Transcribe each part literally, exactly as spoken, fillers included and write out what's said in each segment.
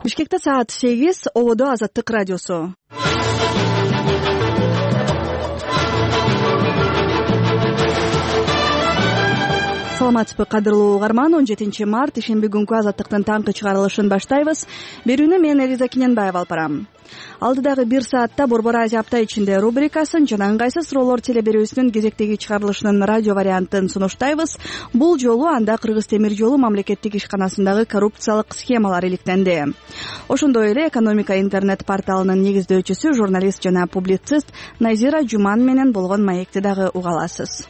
Бишкекте саат сегиз, Ободо Азаттык радиосу. Саламатсызбы, кадырлуу угарман. он жетинчи март ишемби күнкү Азаттыктын таңкы чыгарылышын баштайбыз. Берүүнү мен Элиза Кененбаева алып барам. Алдыдагы бир саатта Борбор Азия апта ичинде рубрикасын жана ыңгайсыз суроолор телеберүүсүнүн кезектеги чыгарылышынын радио вариантын сунуштайбыз. Бул жолу анда Кыргыз темир жолу мамлекеттик ишканасындагы коррупциялык схемалар иликтенди. Ошондой эле экономика интернет порталынын негиздөөчүсү, журналист жана публицист Назира Жуман менен болгон маекти дагы уга аласыз.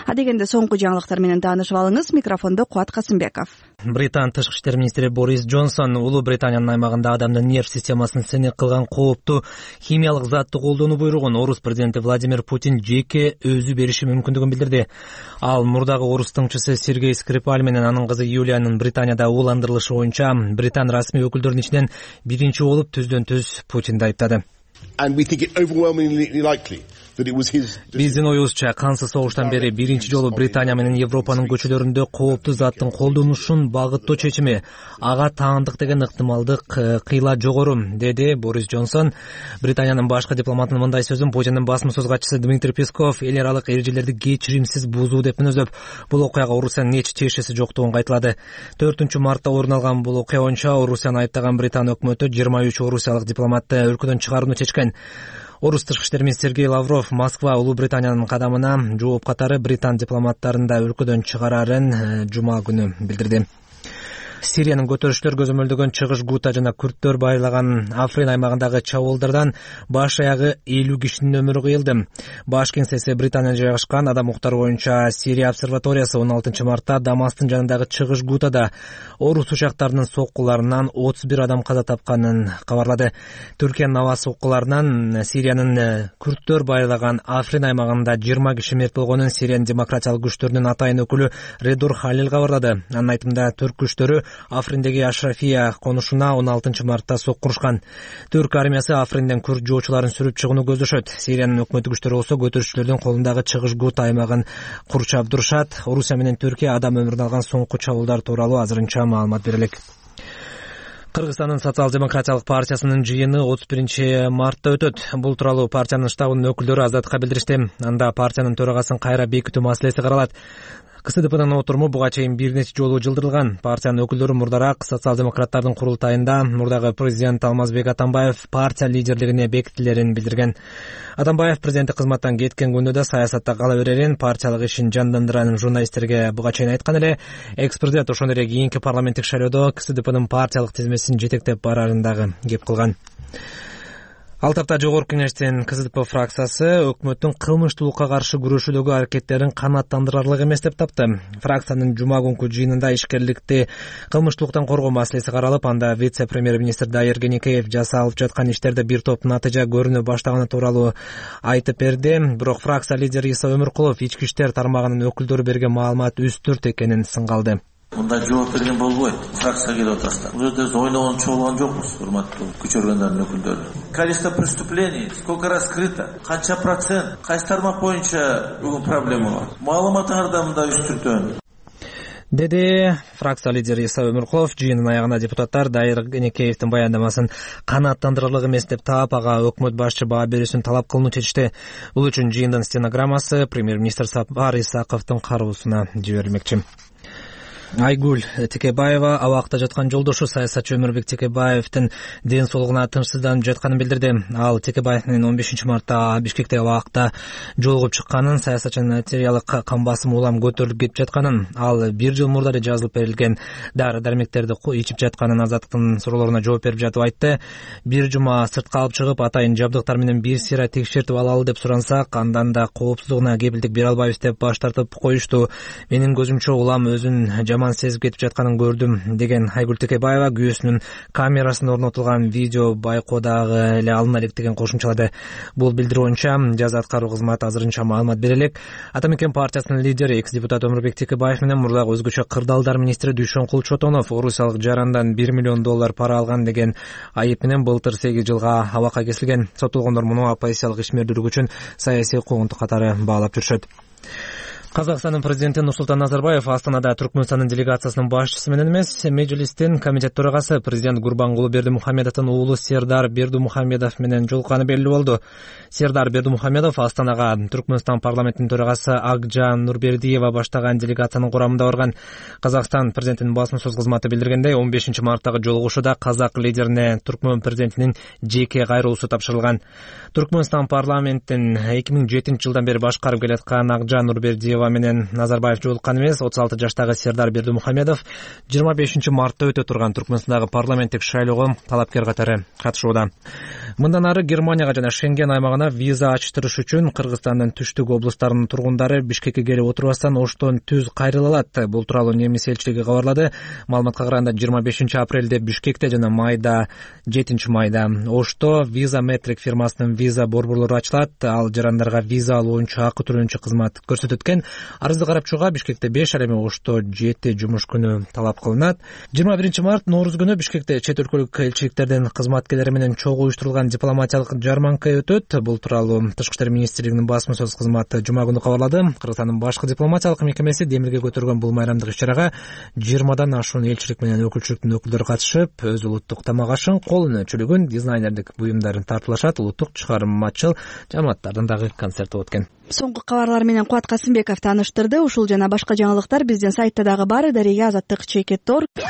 Адегенде соңку жаңылыктар менен таанышып алыңыз. Микрофондо Кубат Касымбеков. Британ тышкы иштер министри Борис Джонсон Улуу Британиянын аймагында адамдын нерв системасын сынек кылган кооптуу химиялык затты колдонуу буйругун орус президенти Владимир Путин жеке өзү бериши мүмкүндүгүн билдирди. Ал мурдагы орус тыңчысы Сергей Скрипаль менен анын кызы Юлиянын Британияда ууландырылышы боюнча Британ расмий өкүлдөрүнүн ичинен биринчи болуп түздөн түз Путинди айыптады. Биздин оюбузча, кансыз согуштан бери биринчи жолу Британия менен Европанын көчөлөрүндө кооптуу заттын колдонушун багыттоо чечими. Ага таандык деген ыктымалдык кыйла жогору, деди Борис Джонсон. Британиянын башкы дипломатынын мындай сөзүн Путиндин басма сөз катчысы Дмитрий Песков эл аралык эрежелерди кечиримсиз бузуу деп мүнөздөп, бул окуяга Орусиянын эч тиешеси жоктугун кайталады. төртүнчү мартта орун алган бул окуя боюнча Орусияны айыптаган Британ өкмөтү жыйырма үч орусиялык дипломатты өлкөдөн чыгарууну чечкен. Орус тышкы иштер министри Сергей Лавров Москва Улуу Британиянын кадамына жооп катары Британ дипломаттарын да өлкөдөн чыгарарын жума күнү билдирди. Сириянын көтөрүштөр көзөмөлдөгөн Чыгыш Гута жана күрттөр байырлаган Африн аймагындагы чабуулдардан баш аягы элүү кишинин өмүрү кыйылды. Баш кеңсеси Британияда жайгашкан Адам укуктары боюнча Сирия обсерваториясы он алтынчы мартта Дамастын жанындагы Чыгыш Гутада орус учактарынын соккуларынан отуз бир адам каза тапканын кабарлады. Түркиянын аба соккуларынан Сириянын күрттөр байырлаган Африн аймагында жыйырма киши мерт болгонун Сириянын демократиялык күчтөрүнүн атайын өкүлү Редур Халил кабарлады. Анын айтымында түрк күчтөрү Африндеги Ашрафия конушуна он алтынчы мартта соккурушкан. Түрк армиясы Афринден күрд жоочуларын сүрүп чыгууну көздөшөт. Сириянын өкмөттүк күчтөрү болсо көтөрүшчүлөрдүн колундагы Чыгыш Гута аймагын курчап турушат. Орусия менен Түркия адам өмүрүн алган соңку чабуулдар тууралуу азырынча маалымат бере элек. Кыргызстандын социал-демократиялык партиясынын жыйыны отуз биринчи мартта өтөт. Бул тууралуу партиянын штабынын өкүлдөрү Азаттыкка билдиришти. Анда партиянын төрагасын кайра бекитүү маселеси каралат. КСДПнын отуруму буга чейин бир нече жолу жылдырылган. Партиянын өкүлдөрү мурдараак социал-демократтардын курултайында мурдагы президент Алмазбек Атамбаев партия лидерлигине бекитилерин билдирген. Атамбаев президенттик кызматтан кеткен күндө да саясатта кала берерин, партиялык ишин жандандырарын журналисттерге буга чейин айткан эле. Экс-президент ошондой эле кийинки парламенттик шайлоодо КСДПнын партиялык тизмесин жетектеп барарын дагы кеп кылган. Ал тапта Жогорку Кеңештин КСДП фракциясы өкмөттүн кылмыштуулукка каршы күрөшүүдөгү аракеттерин канааттандырарлык эмес деп тапты. Фракциянын жума күнкү жыйынында ишкерликти кылмыштуулуктан коргоо маселеси каралып, анда вице-премьер-министр Дайыр Кенекеев жасалып жаткан иштерде бир топ натыйжа көрүнө баштаганы тууралуу айтып берди. Бирок фракция лидери Иса Өмүркулов ички иштер тармагынын өкүлдөрү берген маалымат үстүрт экенин сыңгалды. Мындай жооп берген болбойт. Фракция келип атасыздар. Бул жерде ойногончу болгон жокпуз, урматтуу күч органдарынын өкүлдөрү. Количество преступлений сколько раскрыто, канча процент, кайсы тармак боюнча бүгүн проблема бар. Маалыматыңарда мындай үстүртөн, деди фракция лидери Иса Өмүркулов. Жыйындын аягында депутаттар Дайыр Кенекеевдин баяндамасын канааттандырарлык эмес деп таап, ага өкмөт башчы баа берүүсүн талап кылууну чечти. Бул үчүн жыйындын стенограммасы премьер-министр Сапар Исаковдун кароосуна жиберилмекчи. Айгүл Текебаева абакта жаткан жолдошу саясатчы Өмүрбек Текебаевдин ден соолугуна тынчсызданып жатканын билдирди. Ал Текебаевдин он бешинчи мартта Бишкекте абакта жолугуп чыкканын, саясатчынын артериялык кан басымы улам көтөрүлүп кетип жатканын, ал бир жыл мурда эле жазылып берилген дары-дармектерди ичип жатканын Азаттыктын суроолоруна жооп берип жатып айтты. Бир жума сыртка алып чыгып, атайын жабдыктар менен бир сыйра текшертип алалы деп сурансак, андан да коопсуздугуна кепилдик бере албайбыз деп баш тартып коюшту. Менин көзүмчө улам өзүн жаман сезип кетип жатканын көрдүм, деген Айгүл Текебаева күйөөсүнүн камерасына орнотулган видео байкоодагы эле алына элек деген кошумчалады. Бул билдирүү боюнча жаза аткаруу кызматы азырынча маалымат бере элек. Ата Мекен партиясынын лидери экс-депутат Өмүрбек Текебаев менен мурдагы өзгөчө кырдаалдар министри Дүйшөнкул Чотонов орусиялык жарандан бир миллион доллар пара алган деген айып менен былтыр сегиз жылга абакка кесилген. Соттолгондор муну оппозициялык ишмердүүлүк үчүн саясий куугунтук катары баалап жүрүшөт. Казакстандын президенти Нурсултан Назарбаев Астанада Түркмөнстандын делегациясынын башчысы менен эмес, Мejлистин комитет төрагасы президент Гурбангулы Бердимухамедовдун уулу Сердар Бердимухамедов менен жолукканы белгилүү болду. Сердар Бердимухамедов Астанага Түркмөнстан парламентинин төрагасы Акжан Нурбердиева баштаган делегациянын курамында барган. Казакстан президентинин басма сөз кызматы билдиргендей, он бешинчи марттагы жолугушууда казак лидерине Түркмөн президентинин жеке кайрылуусу тапшырылган. Түркмөнстан парламентин эки миң жетинчи жылдан бери башкарып келаткан Акжан Нурбердиева менен Назарбаев жолуккан эмес. отуз алты жаштагы Сердар Бердимухамедов жыйырма бешинчи мартта өтө турган Түркмөнстандагы парламенттик шайлоого талапкер катары катышууда. Мындан ары Германияга жана Шенген аймагына виза ачтырыш үчүн Кыргызстандын түштүк облустарынын тургундары Бишкекке келип отурбастан Оштон түз кайрыла алат. Бул тууралуу немис элчилиги кабарлады. Маалыматка караганда жыйырма бешинчи апрелде Бишкекте жана майда жетинчи майда Ошто виза метрик фирмасынын виза борборлору ачылат. Ал жарандарга виза алуу боюнча акы төлөөнчү кызмат көрсөтөт экен. Арызды карап чыгууга Бишкекте беш, ал эми Ошто жети жумуш күнү талап кылынат. жыйырма биринчи март Нооруз күнү Бишкекте чет өлкөлүк элчиликтердин кызматкерлери менен чогуу уюштурулган дипломатиялык жарманка өтөт. Бул тууралуу Тышкы иштер министрлигинин басма сөз кызматы жума күнү кабарлады. Кыргызстандын башкы дипломатиялык мекемеси демилге көтөргөн бул майрамдык иш-чарага жыйырмадан ашуун элчилик менен өкүлчүлүктүн өкүлдөрү катышып, өз улуттук тамак ашын, кол өнөрчүлүгүн, дизайнерлик буюмдарын тартуулашат. Улуттук чыгармачыл жамааттардын дагы концерти болот экен. Соңку кабарлар менен Кубат Касымбеков тааныштырды. Ушул жана башка жаңылыктар биздин сайтта дагы бар. Дария азаттык чекит точка орг.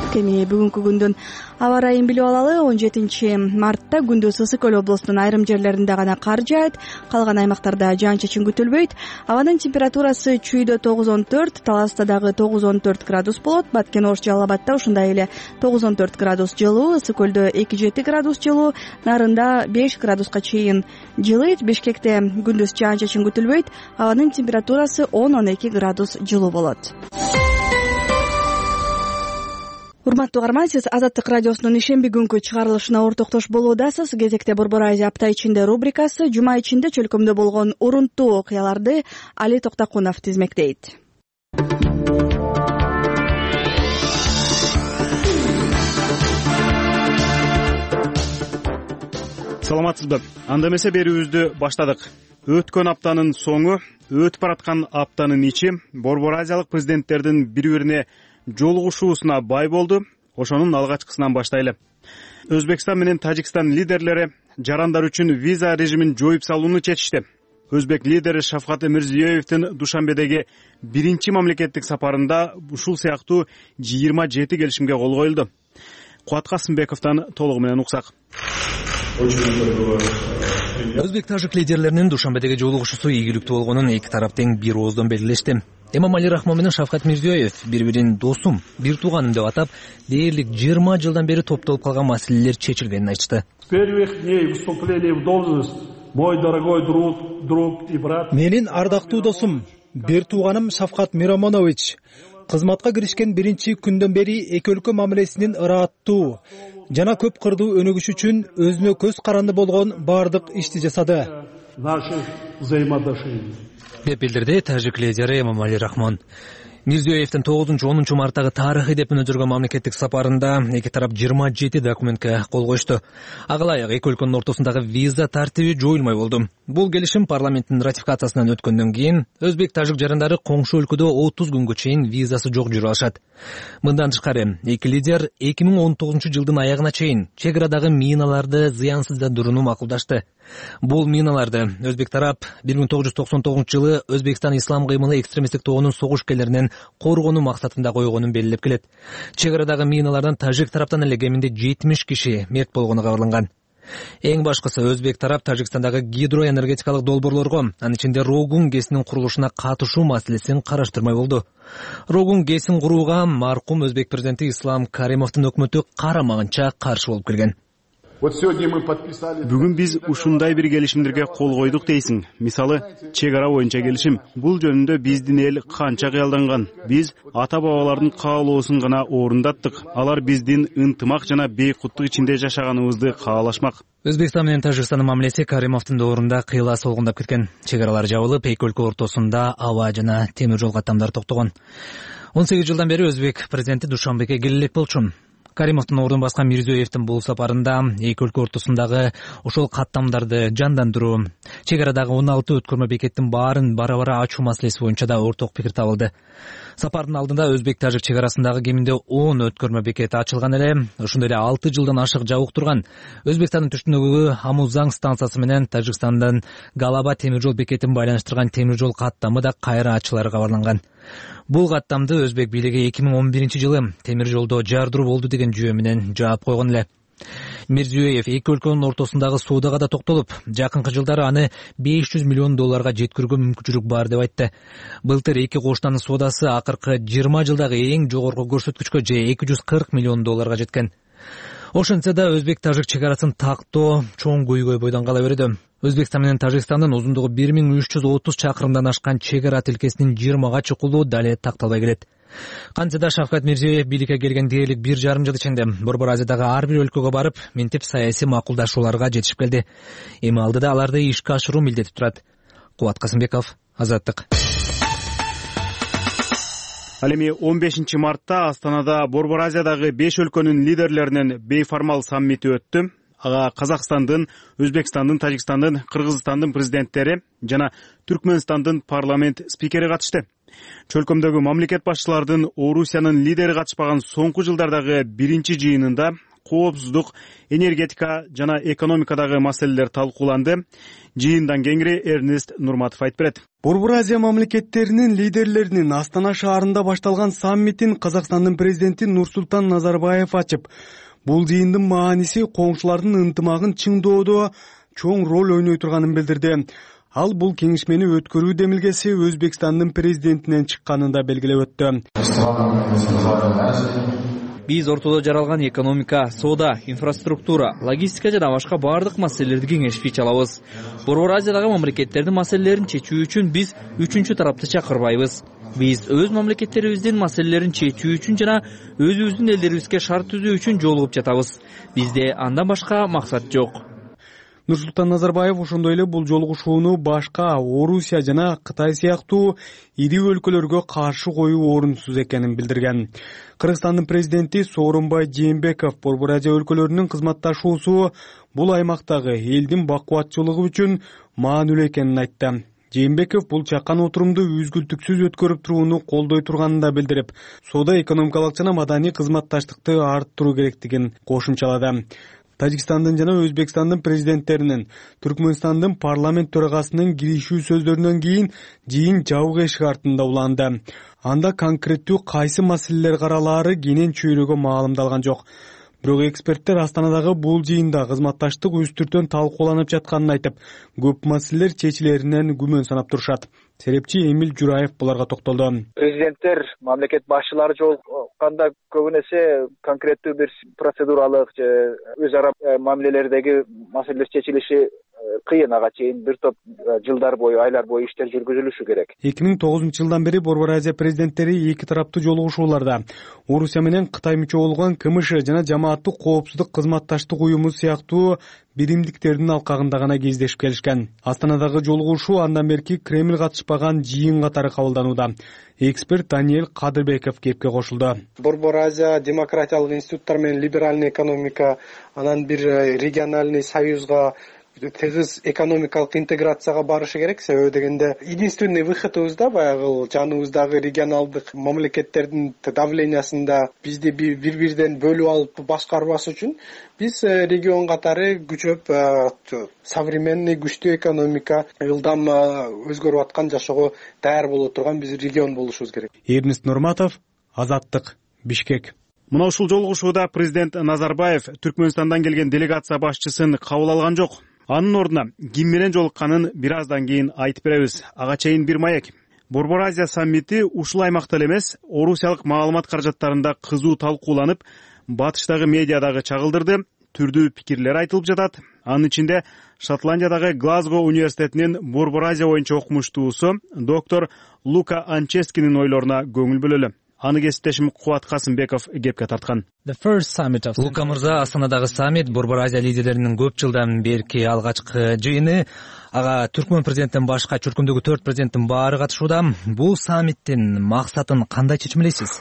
Кеми бүгүнкү күндүн аба ырайын билип алалы. он жетинчи мартта күндүз Ысык Көл облусунун айрым жерлеринде гана кар жаайт, калган аймактарда жаан-чачын күтүлбөйт. Абанын температурасы Чүйдө тогуз он төрт, Таласта дагы тогуз он төрт градус болот. Баткен Ош, Жалал Абадта ушундай эле тогуз он төрт градус жылуу, Ысык Көлдө эки жети градус жылуу, Нарында беш градуска чейин жылыйт. Бишкекте күндүз жаан-чачын күтүлбөйт. Абанын температурасы он он эки градус жылуу болот. Урматтуу угарман, сиз Азаттык радиосунун ишемби күнкү чыгарылышына ортоктош болуудасыз. Кезекте Борбор Азия апта ичинде рубрикасы жума ичинде чөлкөмдө болгон урунттуу окуяларды Али Токтокунов тизмектейт. Саламатсызбы? Анда эмесе берүүбүздү баштадык. Өткөн аптанын соңу, өтүп бараткан аптанын ичи Борбор Азиялык президенттердин бири-бирине жолугушуусуна бай болду. Ошонун алгачкысынан баштайлы. Өзбекстан менен Тажикстан лидерлери жарандар үчүн виза режимин жоюп салууну чечишти. Өзбек лидери Шавкат Мирзиёевдин Душанбедеги биринчи мамлекеттик сапарында ушул сыяктуу жыйырма жети келишимге кол коюлду. Кубат Касымбековдон толугу менен уксак. Өзбек-тажик лидерлеринин Душанбедеги жолугушуусу ийгиликтүү болгонун эки тарап тең бир ооздон белгилешти. Эмомали Рахмон менен Шавкат Мирзиёев бири-бирин досум, бир тууганым деп атап, дээрлик жыйырма жылдан бери топтолуп калган маселелер чечилгенин айтышты. С первых дней вступления в должность мой дорогой друг, друг и брат. Менин ардактуу досум, бир тууганым Шавкат Миромонович кызматка киришкен биринчи күндөн бери эки өлкө мамилесинин ырааттуу жана көп кырдуу өнүгүшү үчүн өзүнө көз каранды болгон баардык ишти жасады. Наших взаимоотношений. деп билдирди тажик лидери Эмомали Рахмон. Мирзиёевдин тогузунчу онунчу марттагы тарыхый деп өнүдүргөн мамлекеттик сапарында эки тарап жыйырма жети документке кол коюшту. Ага ылайык эки өлкөнүн ортосундагы виза тартиби жоюлмай болду. Бул келишим парламенттин ратификациясынан өткөндөн кийин өзбек-тажик жарандары коңшу өлкөдө отуз күнгө чейин визасы жок жүрө алышат. Мындан тышкары эки лидер эки миң он тогузунчу жылдын аягына чейин чек арадагы миналарды зыянсыздандырууну макулдашты. Бул миналарды өзбек тарап бир миң тогуз жүз токсон тогузунчу жылы Өзбекстан ислам кыймылы экстремисттик тобунун согушкерлеринен коргонуу максатында койгонун белгилеп келет. Чек арадагы миналардан тажик тараптан эле кеминде жетимиш киши мерт болгону кабарланган. Эң башкысы өзбек тарап Тажикстандагы гидроэнергетикалык долбоорлорго, анын ичинде Рогун ГЭСинин курулушуна катышуу маселесин караштырмай болду. Рогун ГЭСин курууга маркум өзбек президенти Ислам Каримовдун өкмөтү карамагынча каршы болуп келген. Бүгүн биз ушундай бир келишимдерге кол койдук дейсиң. Мисалы, чек ара боюнча келишим. Бул жөнүндө биздин эл канча кыялданган. Биз ата-бабалардын каалоосун гана орундаттык. Алар биздин ынтымак жана бейкуттук ичинде жашаганыбызды каалашмак. Өзбекстан менен Тажикстандын мамилеси Каримовдун доорунда кыйла солгундап кеткен. Чек аралар жабылып, эки өлкө ортосунда аба жана темир жол каттамдары токтогон. он сегиз жылдан бери өзбек президенти Душанбеге келе элек болчу. Каримовдун ордун баскан Мирзиёевдин бул сапарында эки өлкө ортосундагы ошол каттамдарды жандандыруу, чек арадагы он алты өткөрмө бекеттин баарын бара-бара ачуу маселеси боюнча да орток пикир табылды. Сапардын алдында өзбек-тажик чек арасындагы кеминде он өткөрмө бекет ачылган эле. Ошондой эле алты жылдан ашык жабык турган Өзбекстандын түштүгүндөгү Амузаң станциясы менен Тажикстандын Галаба темир жол бекетин байланыштырган темир жол каттамы да кайра ачылары кабарланган. Бул каттамды өзбек бийлиги эки миң он биринчи жылы темир жолдо жардыруу болду деген жүйө менен жаап койгон эле. Мирзиёев эки өлкөнүн ортосундагы соодага да токтолуп, жакынкы жылдары аны беш жүз миллион долларга жеткирүүгө мүмкүнчүлүк бар деп айтты. Былтыр эки коштанын соодасы акыркы жыйырма жылдагы эң жогорку көрсөткүчкө же эки жүз кырк миллион долларга жеткен. Ошентсе да өзбек-тажик чек арасын тактоо чоң көйгөй бойдон кала берүүдө. Өзбекстан менен Тажикстандын узундугу бир миң үч жүз отуз чакырымдан ашкан чек ара тилкесинин жыйырмага чукулуу дале такталбай келет. Кантсе да Шавкат Мирзиёев бийликке келген дээрлик бир жарым жыл ичинде Борбор Азиядагы ар бир өлкөгө барып, минтип саясий макулдашууларга жетишип келди. Эми алдыда аларды ишке ашыруу милдети турат. Кубат Касымбеков, Азаттык. Ал эми он бешинчи мартта Астанада Борбор Азиядагы беш өлкөнүн лидерлеринин бейформал саммити өттү. Ага Казакстандын, Өзбекстандын, Тажикстандын, Кыргызстандын президенттери жана Түркмөнстандын парламент спикери катышты. Чөлкөмдөгү мамлекет башчыларынын Орусиянын лидери катышпаган соңку жылдардагы биринчи жыйынында коопсуздук, энергетика жана экономикадагы маселелер талкууланды. Жыйындан кеңири Эрнест Нурматов айтып берет. Борбор Азия мамлекеттеринин лидерлеринин Астана шаарында башталган саммитин Казакстандын президенти Нурсултан Назарбаев ачып, бул жыйындын мааниси коңшулардын ынтымагын чыңдоодо чоң роль ойной турганын билдирди. Ал бул кеңешмени өткөрүү демилгеси Өзбекстандын президентинен чыкканын да белгилеп өттү. Биз ортодо жаралган экономика, соода, инфраструктура, логистика жана башка бардык маселелерди кеңешпей чалабыз. Борбор Азиядагы мамлекеттердин маселелерин чечүү үчүн биз үчүнчү тарапты чакырбайбыз. Биз өз мамлекеттерибиздин маселелерин чечүү үчүн жана өзүбүздүн элдерибизге шарт түзүү үчүн жолугуп жатабыз. Бизде андан башка максат жок. Нурсултан Назарбаев ошондой эле бул жолугушууну башка Орусия жана Кытай сыяктуу ири өлкөлөргө каршы коюу орунсуз экенин билдирген. Кыргызстандын президенти Сооронбай Жээнбеков Борбор Азия өлкөлөрүнүн кызматташуусу бул аймактагы элдин бакубатчылыгы үчүн маанилүү экенин айтты. Жээнбеков бул чакан отурумду үзгүлтүксүз өткөрүп турууну колдой турганын да билдирип, соода экономикалык жана маданий кызматташтыкты арттыруу керектигин кошумчалады. Тажикстандын жана Өзбекстандын президенттеринин, Түркмөнстандын парламент төрагасынын киришүү сөздөрүнөн кийин жыйын жабык эшик артында уланды. Анда конкреттүү кайсы маселелер каралаары кенен чөйрөгө маалымдалган жок. Бирок эксперттер Астанадагы бул жыйында кызматташтык үстүртөн талкууланып жатканын айтып, көп маселелер чечилеринен күмөн санап турушат. Серепчи Эмил Жураев буларга токтолду. Президенттер, мамлекет башчылары жолукканда көбүнесе конкреттүү бир процедуралык же өз ара мамилелердеги маселелер чечилиши кыйын, ага чейин бир топ жылдар бою, айлар бою иштер жүргүзүлүшү керек. эки миң тогузунчу жылдан бери Борбор Азия президенттери эки тараптуу жолугушууларда Орусия менен Кытай мүчө болгон КМШ жана Жамааттык коопсуздук кызматташтык уюму сыяктуу биримдиктердин алкагында гана кездешип келишкен. Астанадагы жолугушуу андан берки Кремль катышпаган жыйын катары кабылданууда. Эксперт Даниэль Кадырбеков кепке кошулду. Борбор Азия демократиялык институттар менен либеральный экономика, анан бир региональный союзга, тыгыз экономикалык интеграцияга барышы керек. Себеби дегенде единственный выходыбыз да баягы жаныбыздагы регионалдык мамлекеттердин давлениясында бизди бири-бириден бөлүп алып башкарбас үчүн биз регион катары күчөп, современный күчтүү экономика, ылдам өзгөрүп аткан, жашоого даяр боло турган биз регион болушубуз керек. Эрнест Нурматов, Азаттык, Бишкек. Мына ушул жолугушууда президент Назарбаев Түркмөнстандан келген делегация башчысын кабыл алган жок. Анын ордуна ким менен жолукканын бир аздан кийин айтып беребиз. Ага чейин бир маек. Борбор Азия саммити ушул аймакта эле эмес, Орусиялык маалымат каражаттарында кызуу талкууланып, батыштагы медиадагы чагылдырды, түрдүү пикирлер айтылып жатат. Анын ичинде Шотландиядагы Глазго университетинин Борбор Азия боюнча окумуштуусу доктор Лука Анческинин ойлоруна көңүл бөлөлү. Аны кесиптешим Кубат Касымбеков кепке тарткан. Лука мырза, Астанадагы саммит Борбор Азия лидерлеринин көп жылдан берки алгачкы жыйыны. Ага Түркмөн президенттен башка чөлкөмдөгү төрт президенттин баары катышууда. Бул саммиттин максатын кандай чечмелейсиз?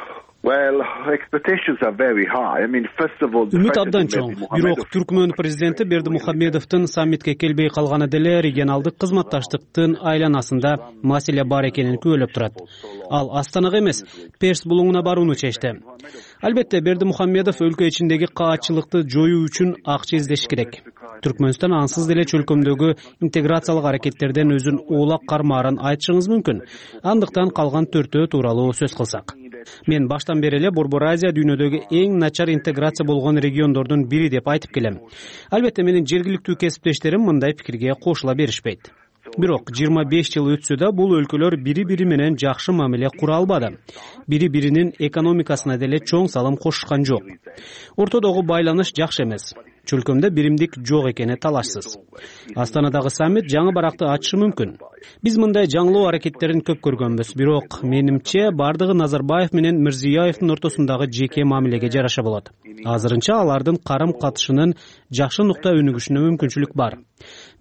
үмүт абдан чоң. Бирок Түркмөн президенти Бердимухамедовдун саммитке келбей калганы деле регионалдык кызматташтыктын айланасында маселе бар экенин күбөлөп турат. Ал Астанага эмес, Перс булуңуна барууну чечти. Албетте, Бердимухамедов өлкө ичиндеги каатчылыкты жоюу үчүн акча издеш керек. Түркмөнстан ансыз деле чөлкөмдөгү интеграциялык аракеттерден өзүн оолак кармаарын айтышыңыз мүмкүн. Андыктан калган төртөө тууралуу сөз кылсак. Мен баштан бери эле Борбор Азия дүйнөдөгү эң начар интеграция болгон региондордун бири деп айтып келем. Албетте, менин жергиликтүү кесиптештерим мындай пикирге кошула беришпейт. Бирок жыйырма беш жыл өтсө да бул өлкөлөр бири-бири менен жакшы мамиле кура албады. Бири-биринин экономикасына деле чоң салым кошушкан жок. Ортодогу байланыш жакшы эмес. Чөлкөмдө биримдик жок экени талашсыз. Астанадагы саммит жаңы баракты ачышы мүмкүн. Биз мындай жаңылоо аракеттерин көп көргөнбүз, бирок менимче бардыгы Назарбаев менен Мирзиёевдин ортосундагы жеке мамилеге жараша болот. Азырынча алардын карым катышынын жакшы нукта өнүгүшүнө мүмкүнчүлүк бар.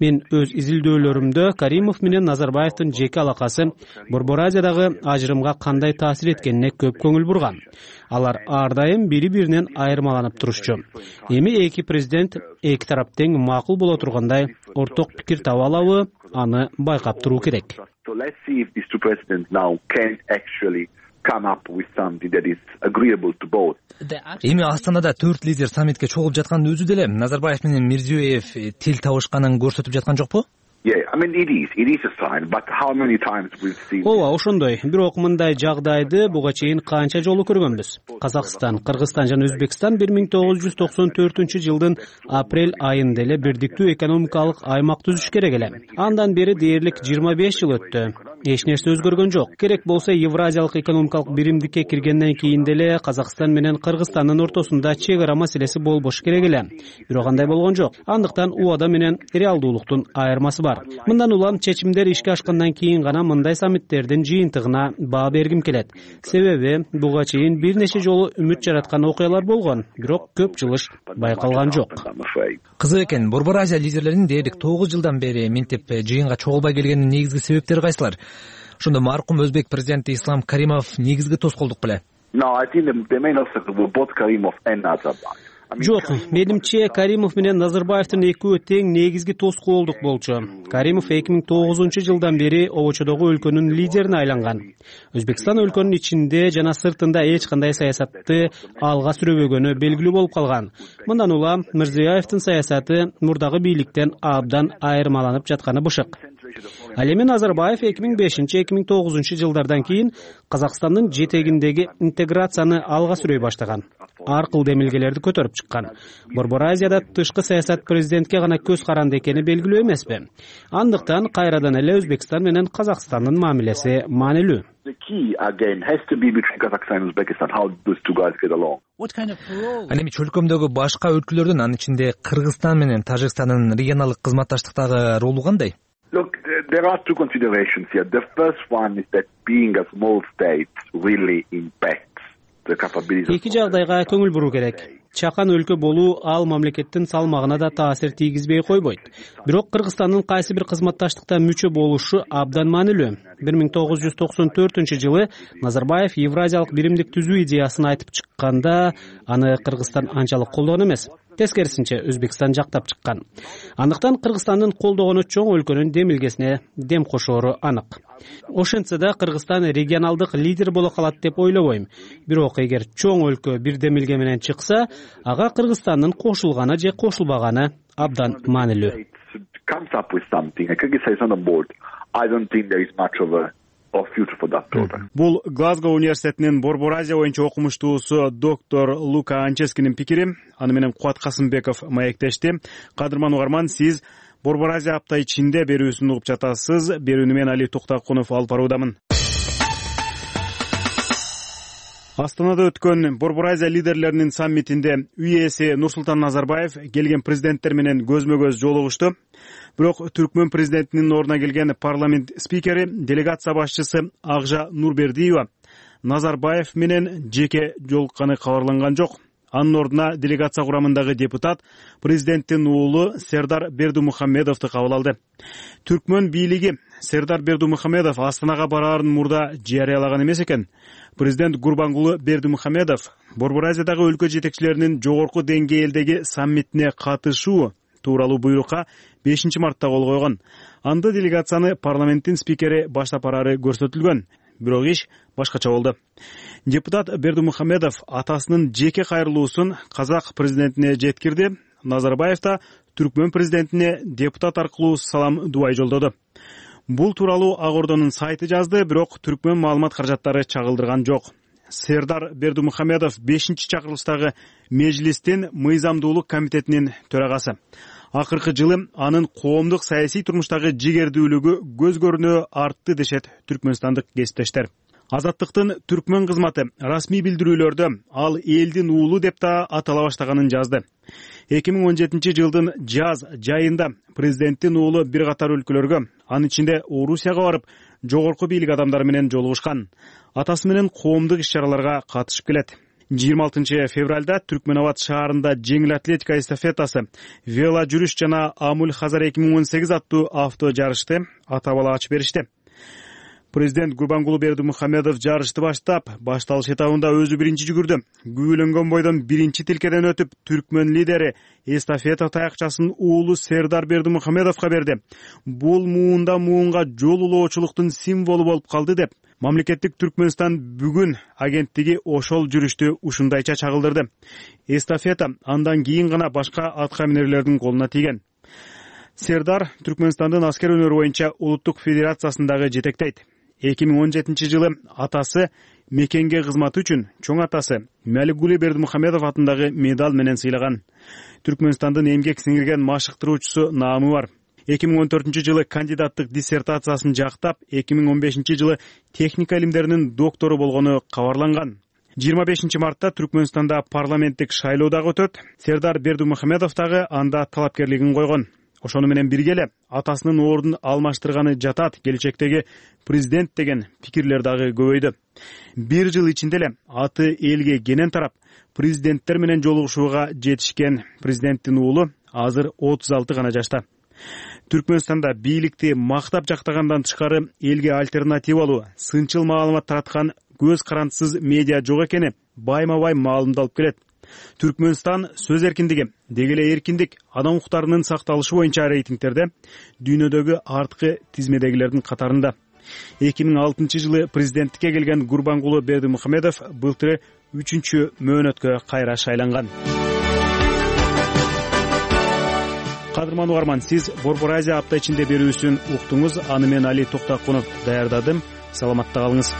Мен өз изилдөөлөрүмдө Каримов менен Назарбаевдин жеке алакасы Борбор Азиядагы ажырымга кандай таасир эткенине көп көңүл бурган. Алар ар дайым бири-биринен айырмаланып турушчу. Эми эки президент эки тарап тең макул боло тургандай орток пикир таба алабы, аны байкап туруу керек. Эми Астанада төрт лидер саммитке чогулуп жаткандын өзү деле Назарбаев менен Мирзиёев тил табышканын көрсөтүп жаткан жокпу? Ооба, ошондой. Бирок мындай жагдайды буга чейин канча жолу көргөнбүз. Казакстан, Кыргызстан жана Өзбекстан бир миң тогуз жүз токсон төртүнчү жылдын апрель айында эле бирдиктүү экономикалык аймак түзүш керек эле. Андан бери дээрлик жыйырма беш жыл өттү. Эч нерсе өзгөргөн жок. Керек болсо Евразиялык экономикалык биримдикке киргенден кийин деле Казакстан менен Кыргызстандын ортосунда чек ара маселеси болбош керек эле. Бирок андай болгон жок. Андыктан убада менен реалдуулуктун айырмасы бар. Мындан улам чечимдер ишке ашкандан кийин гана мындай саммиттердин жыйынтыгына баа бергим келет. Себеби буга чейин бир нече жолу үмүт жараткан окуялар болгон, бирок көп жылыш байкалган жок. Кызык экен. Борбор Азия лидерлеринин дээрлик тогуз жылдан бери минтип жыйынга чогулбай келгенинин негизги себептери кайсылар? Ошондо маркум Өзбек президенти Ислам Каримов негизги тоскоолдук беле? Жок, менимче Каримов менен Назарбаевдин экөө тең негизги тоскоолдук болчу. Каримов эки миң тогузунчу жылдан бери обочодогу өлкөнүн лидерине айланган. Өзбекстан өлкөнүн ичинде жана сыртында эч кандай саясатты алга сүрөбөгөнү белгилүү болуп калган. Мындан улам Мирзиёевдин саясаты мурдагы бийликтен абдан айырмаланып жатканы бышык. Ал эми Назарбаев эки миң бешинчи эки миң тогузунчу жылдардан кийин Казакстандын жетегиндеги интеграцияны алга сүрөй баштаган. Аркыл демилгелерди көтөрүп чыккан. Борбор Азияда тышкы саясат президентке гана көз каранды экени белгилүү эмеспи? Андыктан кайрадан эле Өзбекстан менен Казакстандын мамилеси маанилүү. Ал эми чөлкөмдөгү башка өлкөлөрдүн, анын ичинде Кыргызстан менен Тажикстандын регионалдык кызматташтыктагы ролу кандай? Look, there are two considerations here. The first one is that being a small state really impacts the capability. Эки жагдайга көңүл буруу керек. Чакан өлкө болуу ал мамлекеттин салмагына да таасир тийгизбей койбойт. Бирок Кыргызстандын кайсы бир кызматташтыкта мүчө болушу абдан маанилүү. бир миң тогуз жүз токсон төртүнчү жылы Назарбаев Евразиялык биримдик түзүү идеясын айтып чыкканда, аны Кыргызстан анчалык колдогон эмес. Тескерисинче Өзбекстан жактап чыккан. Андыктан Кыргызстандын колдогону чоң өлкөнүн демилгесине дем кошоору анык. Ошентсе да Кыргызстан регионалдык лидер боло калат деп ойлобойм. Бирок эгер чоң өлкө бир демилге менен чыкса, ага Кыргызстандын кошулганы же кошулбаганы абдан маанилүү. Бул Глазго университетинин Борбор Азия боюнча окумуштуусу доктор Лука Анческинин пикири. Аны менен Кубат Касымбеков маектешти. Кадырман угарман, сиз Борбор Азия апта ичинде берүүсүн угуп жатасыз. Берүүнү мен Али Туктакунов алып баруудамын. Астанада өткөн Борбор Азия лидерлеринин саммитинде үй-ээси Нурсултан Назарбаев келген президенттер менен көзмө-көз жолугушту. Бирок Түркмөн президентинин ордуна келген парламент спикери, делегация башчысы Акжа Нурбердиева Назарбаев менен жеке жолукканы кабарланган жок. анын ордуна делегация курамындагы депутат президенттин уулу Сердар Бердимухамедовду кабыл алды. Түркмөн бийлиги Сердар Бердимухамедов Астанага бараарын мурда жарыялаган эмес экен. Президент Гурбангулы Бердимухамедов Борбор Азиядагы өлкө жетекчилеринин жогорку деңгээлдеги саммитине катышуу тууралуу буйрукка бешинчи мартта кол койгон. Анда делегацияны парламенттин спикери баштап бараары көрсөтүлгөн. Бирок иш башкача болду. Депутат Бердимухамедов атасынын жеке кайрылуусун казак президентине жеткирди. Назарбаев да Түркмөн президентине депутат аркылуу салам дубай жолдоду. Бул тууралуу Ак Ордонун сайты жазды, бирок Түркмөн маалымат каражаттары чагылдырган жок. Сердар Бердимухамедов бешинчи чакырылыштагы Мejлистин мыйзамдуулук комитетинин төрагасы. Акыркы жылы анын коомдук саясий турмуштагы жигердүүлүгү көз көрүнө артты дешет түркмөнстандык кесиптештер. Азаттыктын түркмөн кызматы расмий билдирүүлөрдө ал элдин уулу деп да атала баштаганын жазды. эки миң он жетинчи жылдын жаз жайында президенттин уулу бир катар өлкөлөргө, анын ичинде Орусияга барып, жогорку бийлик адамдары менен жолугушкан. Атасы менен коомдук иш-чараларга катышып келет. жыйырма алтынчы февралда Түркмөнабад шаарында жеңил атлетика эстафетасы, вело жүрүш жана Амуль Хазар эки миң он сегиз аттуу авто жарышты ата бала ачып беришти. Президент Гурбангулы Бердимухамедов жарышты баштап, башталыш этабында өзү биринчи жүгүрдү. Күйүлөнгөн бойдон биринчи тилкеден өтүп, Түркмөн лидери эстафета таякчасын уулу Сердар Бердимухамедовго берди. Бул муунда муунга жол улоочулуктун символу болуп калды деп, Мамлекеттик Түркмөнстан бүгүн агенттиги ошол жүрүштү ушундайча чагылдырды. Эстафета андан кийин гана башка атка минерлердин колуна тийген. Сердар Түркмөнстандын аскер өнөрү боюнча улуттук федерациясындагы жетектейт. эки миң он жетинчи жылы атасы мекенге кызматы үчүн чоң атасы Маликгули Бердимухамедов атындагы медаль менен сыйлаган. Түркмөнстандын эмгек сиңирген машыктыруучусу наамы бар. эки миң он төртүнчү жылы кандидаттык диссертациясын жактап, эки миң он бешинчи жылы техника илимдеринин доктору болгону кабарланган. жыйырма бешинчи мартта Түркмөнстанда парламенттик шайлоо дагы өтөт. Сердар Бердимухамедов дагы анда талапкерлигин койгон. Ошону менен бирге эле атасынын ордун алмаштырганы жатат, келечектеги президент деген пикирлер дагы көбөйдү. Бир жыл ичинде эле аты элге кенен тарап, президенттер менен жолугушууга жетишкен президенттин уулу азыр отуз алты гана жашта. Түркмөнстанда бийликти мактап жактагандан тышкары элге альтернативалуу, сынчыл маалымат тараткан көз карандысыз медиа жок экени байма-бай маалымдалып келет. Түркмөнстан сөз эркиндиги, деги эле эркиндик, адам укуктарынын сакталышы боюнча рейтингтерде дүйнөдөгү арткы тизмедегилердин катарында. эки миң алтынчы жылы президенттикке келген Гурбангулы Бердимухамедов былтыры үчүнчү мөөнөткө кайра шайланган. Кадырман угарман, сиз Борбор Азия апта ичинде берүүсүн уктуңуз. Аны мен Али Токтакунов даярдадым. Саламатта калыңыз.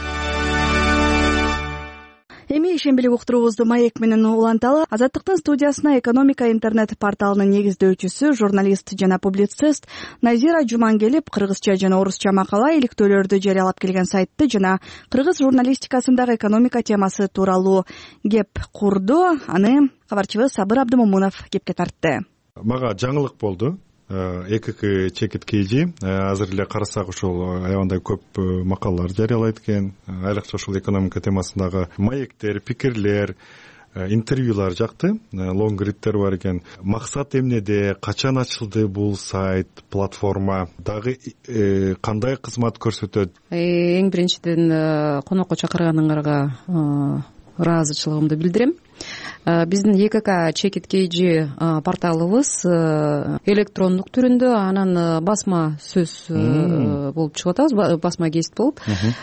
Эми ишембилик уктуруубузду маек менен уланталы. Азаттыктын студиясына экономика интернет порталынын негиздөөчүсү, журналист жана публицист Назира Жуман келип, кыргызча жана орусча макала, иликтөөлөрдү жарыялап келген сайтты жана кыргыз журналистикасындагы экономика темасы тууралуу кеп курду. Аны кабарчыбыз Сабыр Абдымомунов кепке тартты. Мага жаңылык болду. ЭКК чекит кейжи азыр эле карасак ушул аябандай көп макалалар жарыялайт экен. Айрыкча ушул экономика темасындагы маектер, пикирлер, интервьюлар жакты, лонгриттер бар экен. Максат эмнеде, качан ачылды бул сайт, платформа, дагы кандай кызмат көрсөтөт? Эң биринчиден конокко чакырганыңарга ыраазычылыгымды билдирем. Биздин ЭКК чекит кейжи порталыбыз электрондук түрүндө, анан басма сөз болуп чыгып атабыз, басма гезит болуп.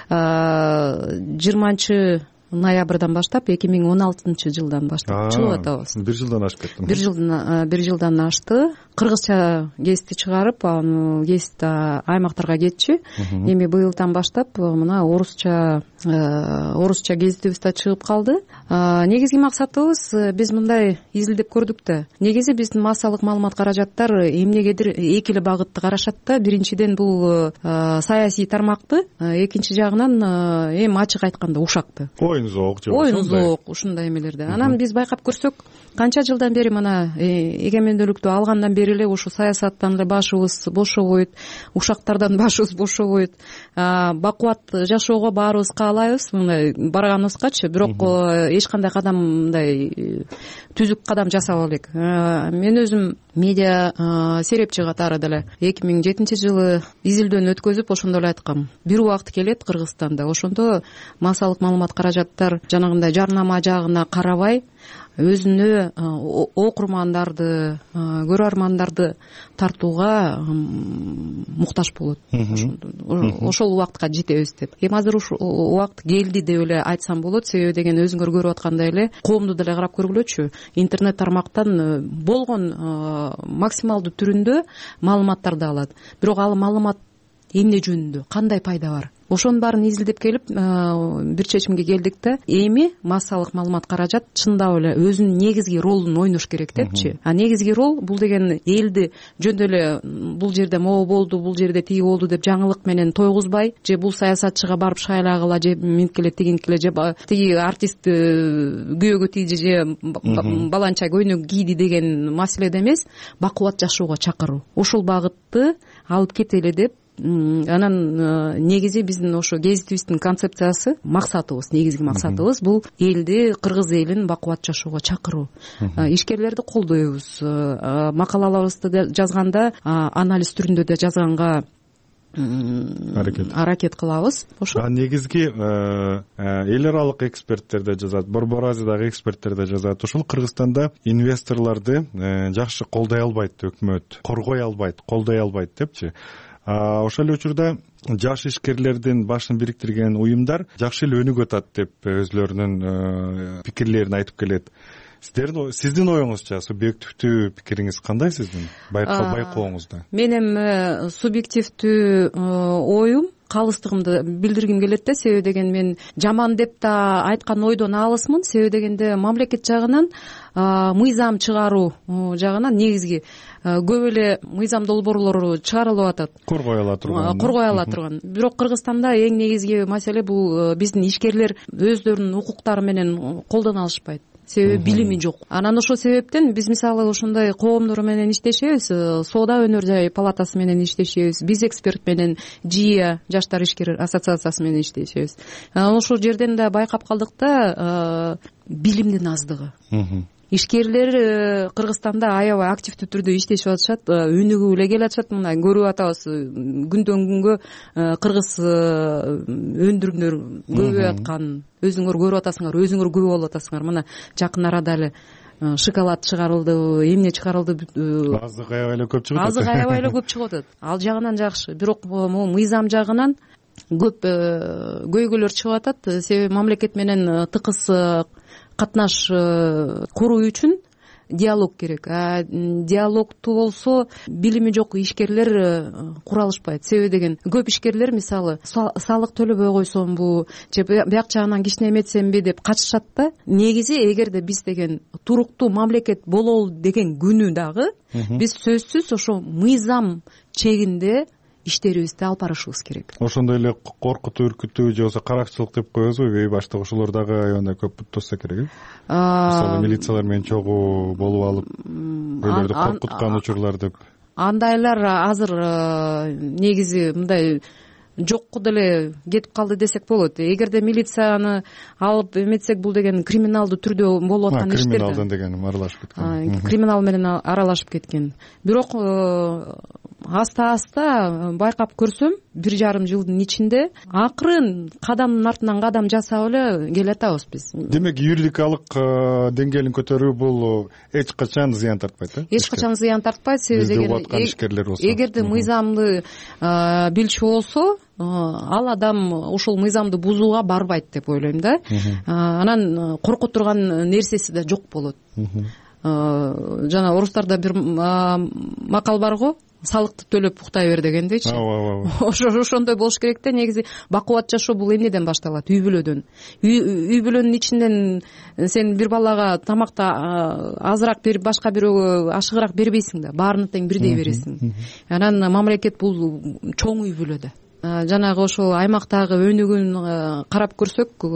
жыйырманчы ноябрдан баштап, эки миң он алтынчы жылдан баштап чыгып атабыз. Бир жылдан ашып кетти. Бир жылдан бир жылдан ашты. Кыргызча гезитти чыгарып, аны гезит аймактарга кетчү. Эми быйылдан баштап мына орусча орусча гезитибиз да чыгып калды. Негизги максатыбыз, биз мындай изилдеп көрдүк да. Негизи биздин массалык маалымат каражаттар эмнегедир эки эле багытты карашат да. Биринчиден бул саясий тармакты, экинчи жагынан эми ачык айтканда ушакты. Оюн зоок же оюн зоок ушундай эмелерди. Анан биз байкап көрсөк, канча жылдан бери мына эгемендүүлүктү алгандан бери бери эле ушу саясаттан эле башыбыз бошобойт, ушактардан башыбыз бошобойт. Бакубат жашоого баарыбыз каалайбыз мындай барганыбызгачы, бирок эч кандай кадам мындай түзүк кадам жасап элек. Мен өзүм медиа серепчи катары деле эки миң жетинчи жылы изилдөөнү өткөзүп ошондо эле айткам, бир убакыт келет Кыргызстанда, ошондо массалык маалымат каражаттар жанагындай жарнама жагына карабай өзүнө окурмандарды, көрөрмандарды тартууга муктаж болот. Ошол убакытка жетебиз деп. Эми азыр ушул убакыт келди деп эле айтсам болот, себеби деген өзүңөр көрүп аткандай эле коомду деле карап көргүлөчү. Интернет тармактан болгон максималдуу түрүндө маалыматтарды алат. Бирок ал маалымат эмне жөнүндө, кандай пайда бар? Ошонун баарын изилдеп келип бир чечимге келдик да, эми массалык маалымат каражат чындап эле өзүнүн негизги ролун ойнош керек депчи. А негизги рол бул деген элди жөн эле бул жерде могу болду, бул жерде тиги болду деп жаңылык менен тойгузбай, же бул саясатчыга барып шайлагыла, же минткиле тигинткиле, же тиги артист күйөөгө тийди, же баланча көйнөк кийди деген маселеде эмес, бакубат жашоого чакыруу. Ошол багытты алып кетели деп. Анан негизи биздин ошо гезитибиздин концепциясы, максатыбыз, негизги максатыбыз бул элди, кыргыз элин бакубат жашоого чакыруу. Ишкерлерди колдойбуз. Макалаларыбызды жазганда анализ түрүндө да жазганга аракет аракет кылабыз. Ошо негизги эл аралык эксперттер да жазат, Борбор Азиядагы эксперттер да жазат. Ошол Кыргызстанда инвесторлорду жакшы колдой албайт өкмөт, коргой албайт, колдой албайт депчи. Ошол эле учурда жаш ишкерлердин башын бириктирген уюмдар жакшы эле өнүгүп атат деп өзүлөрүнүн пикирлерин айтып келет. Сиздердин сиздин оюңузча субъективдүү пикириңиз кандай сиздин байкооңузда? Менин субъективдүү оюм, калыстыгымды билдиргим келет да, себеби деген мен жаман деп да айткан ойдон алысмын. Себеби дегенде мамлекет жагынан мыйзам чыгаруу жагынан негизги көп эле мыйзам долбоорлору чыгарылып атат. Коргой ала турган. Коргой ала турган. Бирок Кыргызстанда эң негизги маселе бул биздин ишкерлер өздөрүнүн укуктары менен колдоно алышпайт. Себеби билими жок. Анан ошол себептен биз мисалы ошондой коомдор менен иштешебиз, соода өнөр жай палатасы менен иштешебиз, биз эксперт менен ЖИА, жаштар ишкер ассоциациясы менен иштешебиз. Ошол жерден да байкап калдык да билимдин аздыгы. Ишкерлер Кыргызстанда аябай активдүү түрдө иштешип атышат, өнүгүп эле келатышат. Мына көрүп атабыз, күндөн күнгө кыргыз өндүрүмдөр көбөйүп аткан. Өзүңөр көрүп атасыңар, өзүңөр күбө болуп атасыңар. Мына жакын арада эле шоколад чыгарылды, эмне чыгарылды. Азык аябай эле көп чыгып атат. Азык аябай эле көп чыгып атат. Ал жагынан жакшы. Бирок могу мыйзам жагынан көп көйгөйлөр чыгып атат. Себеби мамлекет менен тыкыз катнаш куруу үчүн диалог керек. А диалогту болсо билими жок ишкерлер кура алышпайт. Себеби деген көп ишкерлер мисалы салык төлөбөй койсомбу, же бияк жагынан кичине эметсемби деп качышат да. Негизи эгерде биз деген туруктуу мамлекет бололу деген күнү дагы биз сөзсүз ошо мыйзам чегинде иштерибизди алып барышыбыз керек. Ошондой эле коркутуу, үркүтүү же болбосо каракчылык деп коебузбу, үй баштык ошолор дагы аябай көп тосса керек. Мисалы милициялар менен чогуу болуп алып, өйлөрдү коркуткан учурлар деп. Андайлар азыр негизи мындай жокку деле кетип калды десек болот. Эгерде милицияны алып эметсек, бул деген криминалдуу түрдө болуп аткан иштер. Криминалдын деген аралашып кеткен. Криминал менен аралашып кеткен. Бирок аста-аста байкап көрсөм, бир жарым жылдын ичинде акырын кадамдын артынан кадам жасап эле келатабыз биз. Демек, юридикалык деңгээлин көтөрүү бул эч качан зыян тартпайт, э? Эч качан зыян тартпайт, себеби деген эгерде мыйзамды билчү болсо, ал адам ошол мыйзамды бузууга барбайт деп ойлойм да. Анан коркуп турган нерсеси да жок болот. Жана орустарда бир макал бар го, салыкты төлөп уктай бер дегендейчи. Ошо ошондой болуш керек да. Негизи бакубат жашоо бул эмнеден башталат? Үй бүлөдөн. Үй бүлөнүн ичинен сен бир балага тамакты азыраак берип, башка бирөөгө ашыгыраак бербейсиң да, баарына тең бирдей бересиң. Анан мамлекет бул чоң үй бүлөдө. жанагы ошол аймактагы өнүгүүнү карап көрсөк,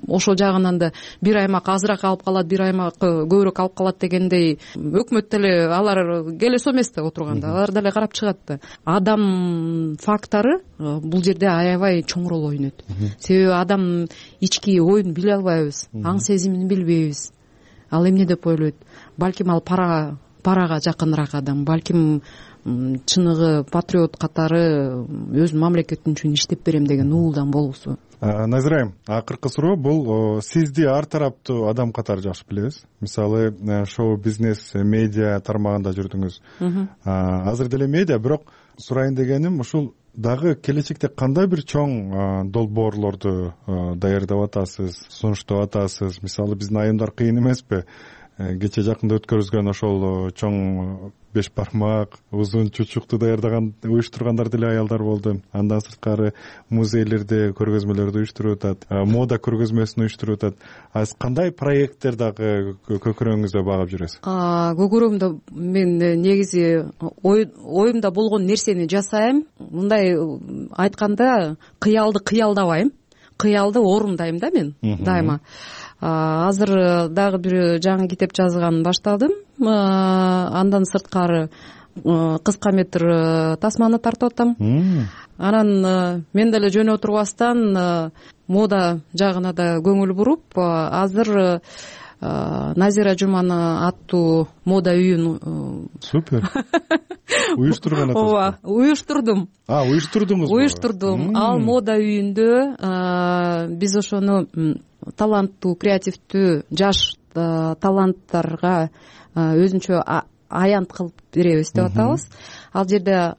ошол жагынан да бир аймак азыраак алып калат, бир аймак көбүрөөк алып калат дегендей өкмөт деле алар келесо эмес да отурганда, алар деле карап чыгат да. Адам фактору бул жерде аябай чоң роль ойнойт. Себеби адам ички оюн биле албайбыз, аң сезимин билбейбиз. Ал эмне деп ойлойт? Балким ал пара парага жакыныраак адам, балким чыныгы патриот катары өзүнүн мамлекетим үчүн иштеп берем деген уулдан болуусу. Назира айым, акыркы суроо бул сизди ар тараптуу адам катары жакшы билебиз. Мисалы, шоу бизнес, медиа тармагында жүрдүңүз. Азыр деле медиа, бирок сурайын дегеним ушул дагы келечекте кандай бир чоң долбоорлорду даярдап атасыз, сунуштап атасыз? Мисалы, биздин айымдар кыйын эмеспи? Кече жакында өткөрүлгөн ошол чоң беш бармак, узун чучукту даярдаган, уюштургандар деле аялдар болду. Андан сырткары музейлерде көргөзмөлөрдү уюштуруп атат, мода көргөзмөсүн уюштуруп атат. Аз кандай проекттер дагы көкүрөгүңүздө багып жүрөсүз? Көкүрөгүмдө мен негизи оюмда болгон нерсени жасайм. Мындай айтканда, кыялды кыялдабайм, кыялды орундайм да мен дайыма. Азыр дагы бир жаңы китеп жазганын баштадым. Андан сырткары кыска метр тасманы тартып атам. Анан мен деле жөн отурбастан мода жагына да көңүл буруп, азыр Назира Жуман аттуу мода үйүн супер уюштурган атасыз. Ооба, уюштурдум. А, уюштурдуңузбу? Уюштурдум. Ал мода үйүндө биз ошону таланттуу, креативдүү жаш таланттарга өзүнчө аянт кылып беребиз деп атабыз. Ал жерде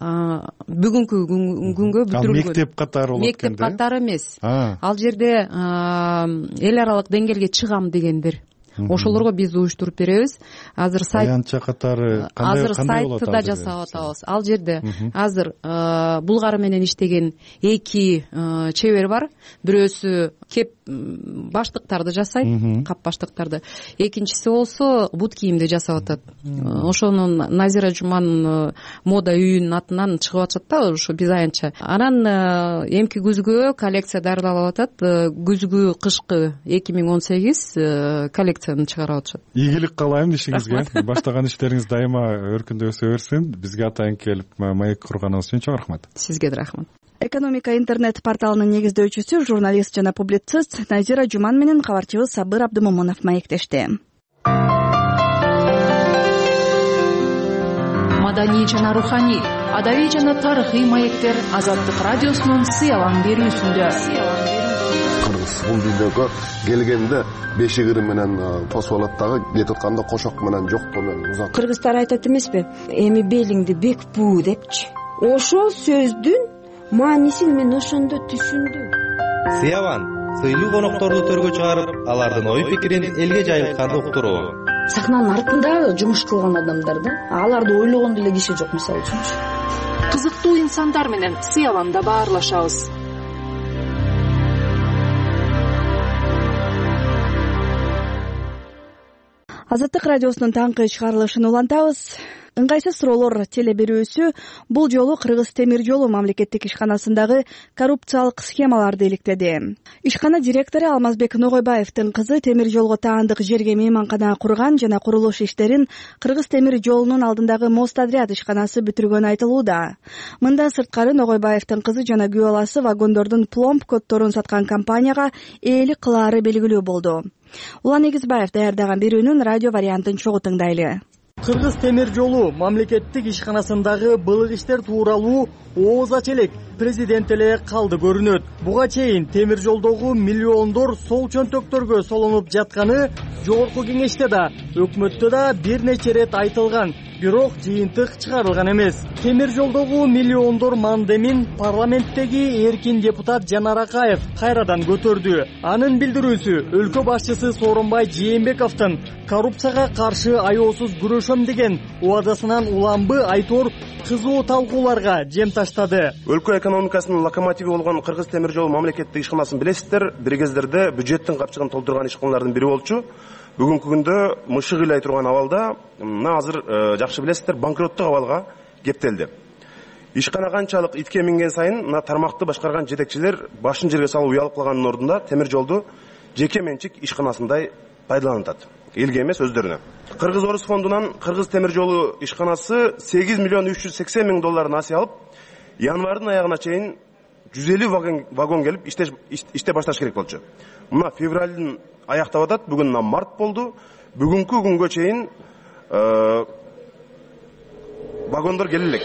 бүгүнкү күнгө бүтүрүлгөн мектеп катары болот экен да? Мектеп катары эмес. Ал жерде эл аралык деңгээлге чыгам дегендер, ошолорго биз уюштуруп беребиз. Азыр сайт аянтча катары кандай азыр сайтты да жасап атабыз. Ал жерде азыр Булгары менен иштеген эки чебер бар. Бирөөсү кеп баштыктарды жасайт, кап баштыктарды. Экинчиси болсо бут кийимди жасап атат. Ошону Назира Жуман мода үйүнүн атынан чыгып атышат да, ошо биз аянтча. Анан эмки күзгү коллекция даярдалып атат. Күзгү кышкы эки миң он сегиз коллекцияны чыгарып атышат. Ийгилик каалайм ишиңизге. Баштаган иштериңиз дайыма өркүндөй өсө берсин. Бизге атайын келип маек курганыңыз үчүн чоң рахмат. Сизге да рахмат. Экономика интернет порталынын негиздөөчүсү, журналист жана публицист Назира Жуман менен кабарчыбыз Сабыр Абдымомунов маектешти. Маданий жана руханий, адабий жана тарыхый маектер Азаттык радиосунун сыялан берүүсүндө. Кыргыз бул дүйнөгө келгенде бешигири менен тосуп алат дагы, кетип атканда кошок менен жоктоо менен узат. Кыргыздар айтат эмеспи, эми белиңди бек буу депчи. Ошол сөздүн маанисин мен ошондо түшүндүм. Сыяван сыйлуу конокторду төргө чыгарып, алардын ой пикирин элге жайылтканды уктуруу. Сахнанын артында жумуш кылган адамдар да, аларды ойлогон деле киши жок, мисалы үчүнчү. Кызыктуу инсандар менен Сыяванда баарлашабыз. Азаттык радиосунун таңкы чыгарылышын улантабыз. Ыңгайсыз суроолор теле берүүсү бул жолу Кыргыз темир жолу мамлекеттик ишканасындагы коррупциялык схемаларды иликтеди. Ишкана директору Алмазбек Ногойбаевдин кызы темир жолго таандык жерге мейманкана курган жана курулуш иштерин Кыргыз темир жолунун алдындагы Мостотряд ишканасы бүтүргөнү айтылууда. Мындан сырткары Ногойбаевдин кызы жана күйөө баласы вагондордун пломб коддорун саткан компанияга ээлик кылаары белгилүү болду. Улан Эгизбаев даярдаган берүүнүн радио вариантын чогуу тыңдайлы. Кыргыз темир жолу мамлекеттик ишканасындагы былык иштер тууралуу ооз ач элек президент эле калды көрүнөт. Буга чейин темир жолдогу миллиондор сол чөнтөктөргө солонуп жатканы жогорку кеңеште да, өкмөттө да бир нече ирет айтылган, бирок жыйынтык чыгарылган эмес. Темир жолдогу миллиондор мандемин парламенттеги эркин депутат Жанар Акаев кайрадан көтөрдү. Анын билдирүүсү өлкө башчысы Сооронбай Жээнбековдун коррупцияга каршы аяосуз күрөшөм деген убадасынан уламбы айтор кызуу талкууларга жем таштады. Өлкө экономикасынын локомотиви болгон Кыргыз темир жолу мамлекеттик ишканасын билесиздер, бир кездерде бюджеттин капчыгын толтурган ишканалардын бири болчу. Бүгүнкү күндө мышык ыйлай турган абалда, мына азыр жакшы билесиздер, банкроттук абалга кептелди. ишкана канчалык итке минген сайын мына тармакты башкарган жетекчилер башын жерге салып уялып калганын ордунда темир жолду жеке менчик ишканасындай пайдаланып атат. Элге эмес, өздөрүнө. Кыргыз Орус фондунан Кыргыз темир жолу ишканасы сегиз миллион үч жүз сексен миң доллар насыя алып, январдын аягына чейин жүз элүү вагон, вагон келип иште, иште башташ керек болчу. Мына февралдын аяктап атат, бүгүн март болду. Бүгүнкү күнгө чейин э, вагондор келе элек.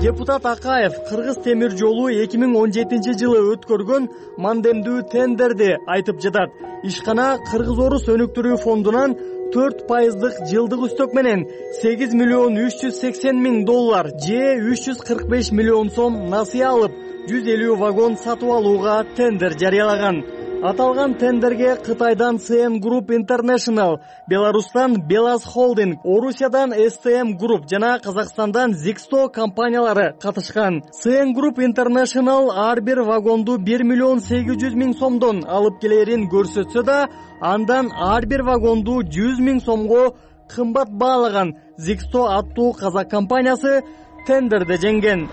Депутат Акаев Кыргыз темир жолу эки миң он жетинчи жылы өткөргөн мандемдүү тендерди айтып жатат. Ишкана Кыргыз Орус өнүктүрүү фондунан төрт пайыздык жылдык үстөк менен сегиз миллион үч жүз сексен миң доллар же үч жүз кырк беш миллион сом насыя алып, жүз элүү вагон сатып алууга тендер жарыялаган. Аталган тендерге Кытайдан си эн Group International, Беларустан Белаз Холдинг, Орусиядан эс тэ эм Group жана Казакстандан Zixto компаниялары катышкан. си эн Group International ар бир вагонду бир миллион сегиз жүз миң сомдон алып келерин көрсөтсө да, андан ар бир вагонду жүз миң сомго кымбат баалаган Zixto аттуу казак компаниясы тендерде жеңген.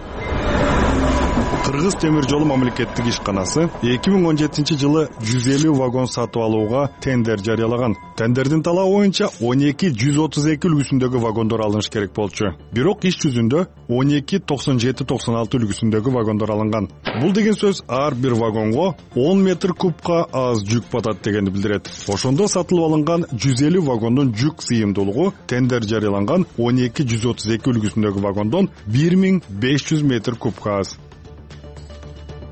Кыргыз темир жолу мамлекеттик ишканасы эки миң он жетинчи жылы жүз элүү вагон сатып алууга тендер жарыялаган. Тендердин талабы боюнча он эки жүз отуз эки үлгүсүндөгү вагондор алыныш керек болчу. Бирок иш жүзүндө он эки токсон жети токсон алты үлгүсүндөгү вагондор алынган. Бул деген сөз ар бир вагонго он метр кубка аз жүк батат дегенди билдирет. Ошондо сатылып алынган жүз элүү вагондун жүк сыйымдуулугу тендер жарыяланган он эки жүз отуз эки үлгүсүндөгү вагондон бир миң беш жүз метр кубка аз.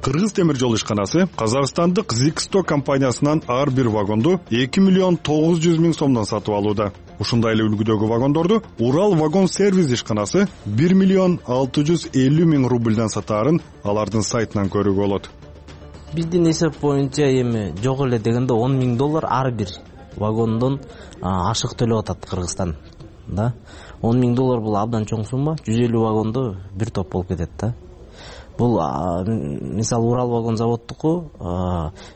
Кыргыз темир жол ишканасы Казакстандык Zixto компаниясынан ар бир вагонду эки миллион тогуз жүз миң сомдон сатып алууда. Ушундай эле үлгүдөгү вагондорду Урал вагон сервис ишканасы бир миллион алты жүз элүү миң рубльдан сатаарын алардын сайтынан көрүүгө болот. Биздин эсеп боюнча эми жок эле дегенде он миң доллар ар бир вагондон ашык төлөп атат Кыргызстан. Да. он миң доллар бул абдан чоң сумма. жүз элүү вагондо бир топ болуп кетет да. Бул мисалы Урал вагон заводтуку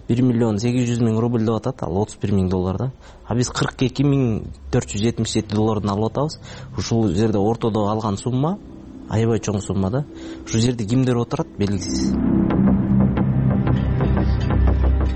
бир миллион сегиз жүз миң рубль деп атат, ал отуз бир миң доллар да. А биз кырк эки миң төрт жүз жетимиш жети доллардан алып атабыз. Ушул жерде ортодо алган сумма аябай чоң сумма да. Ушул жерде кимдер отурат белгисиз.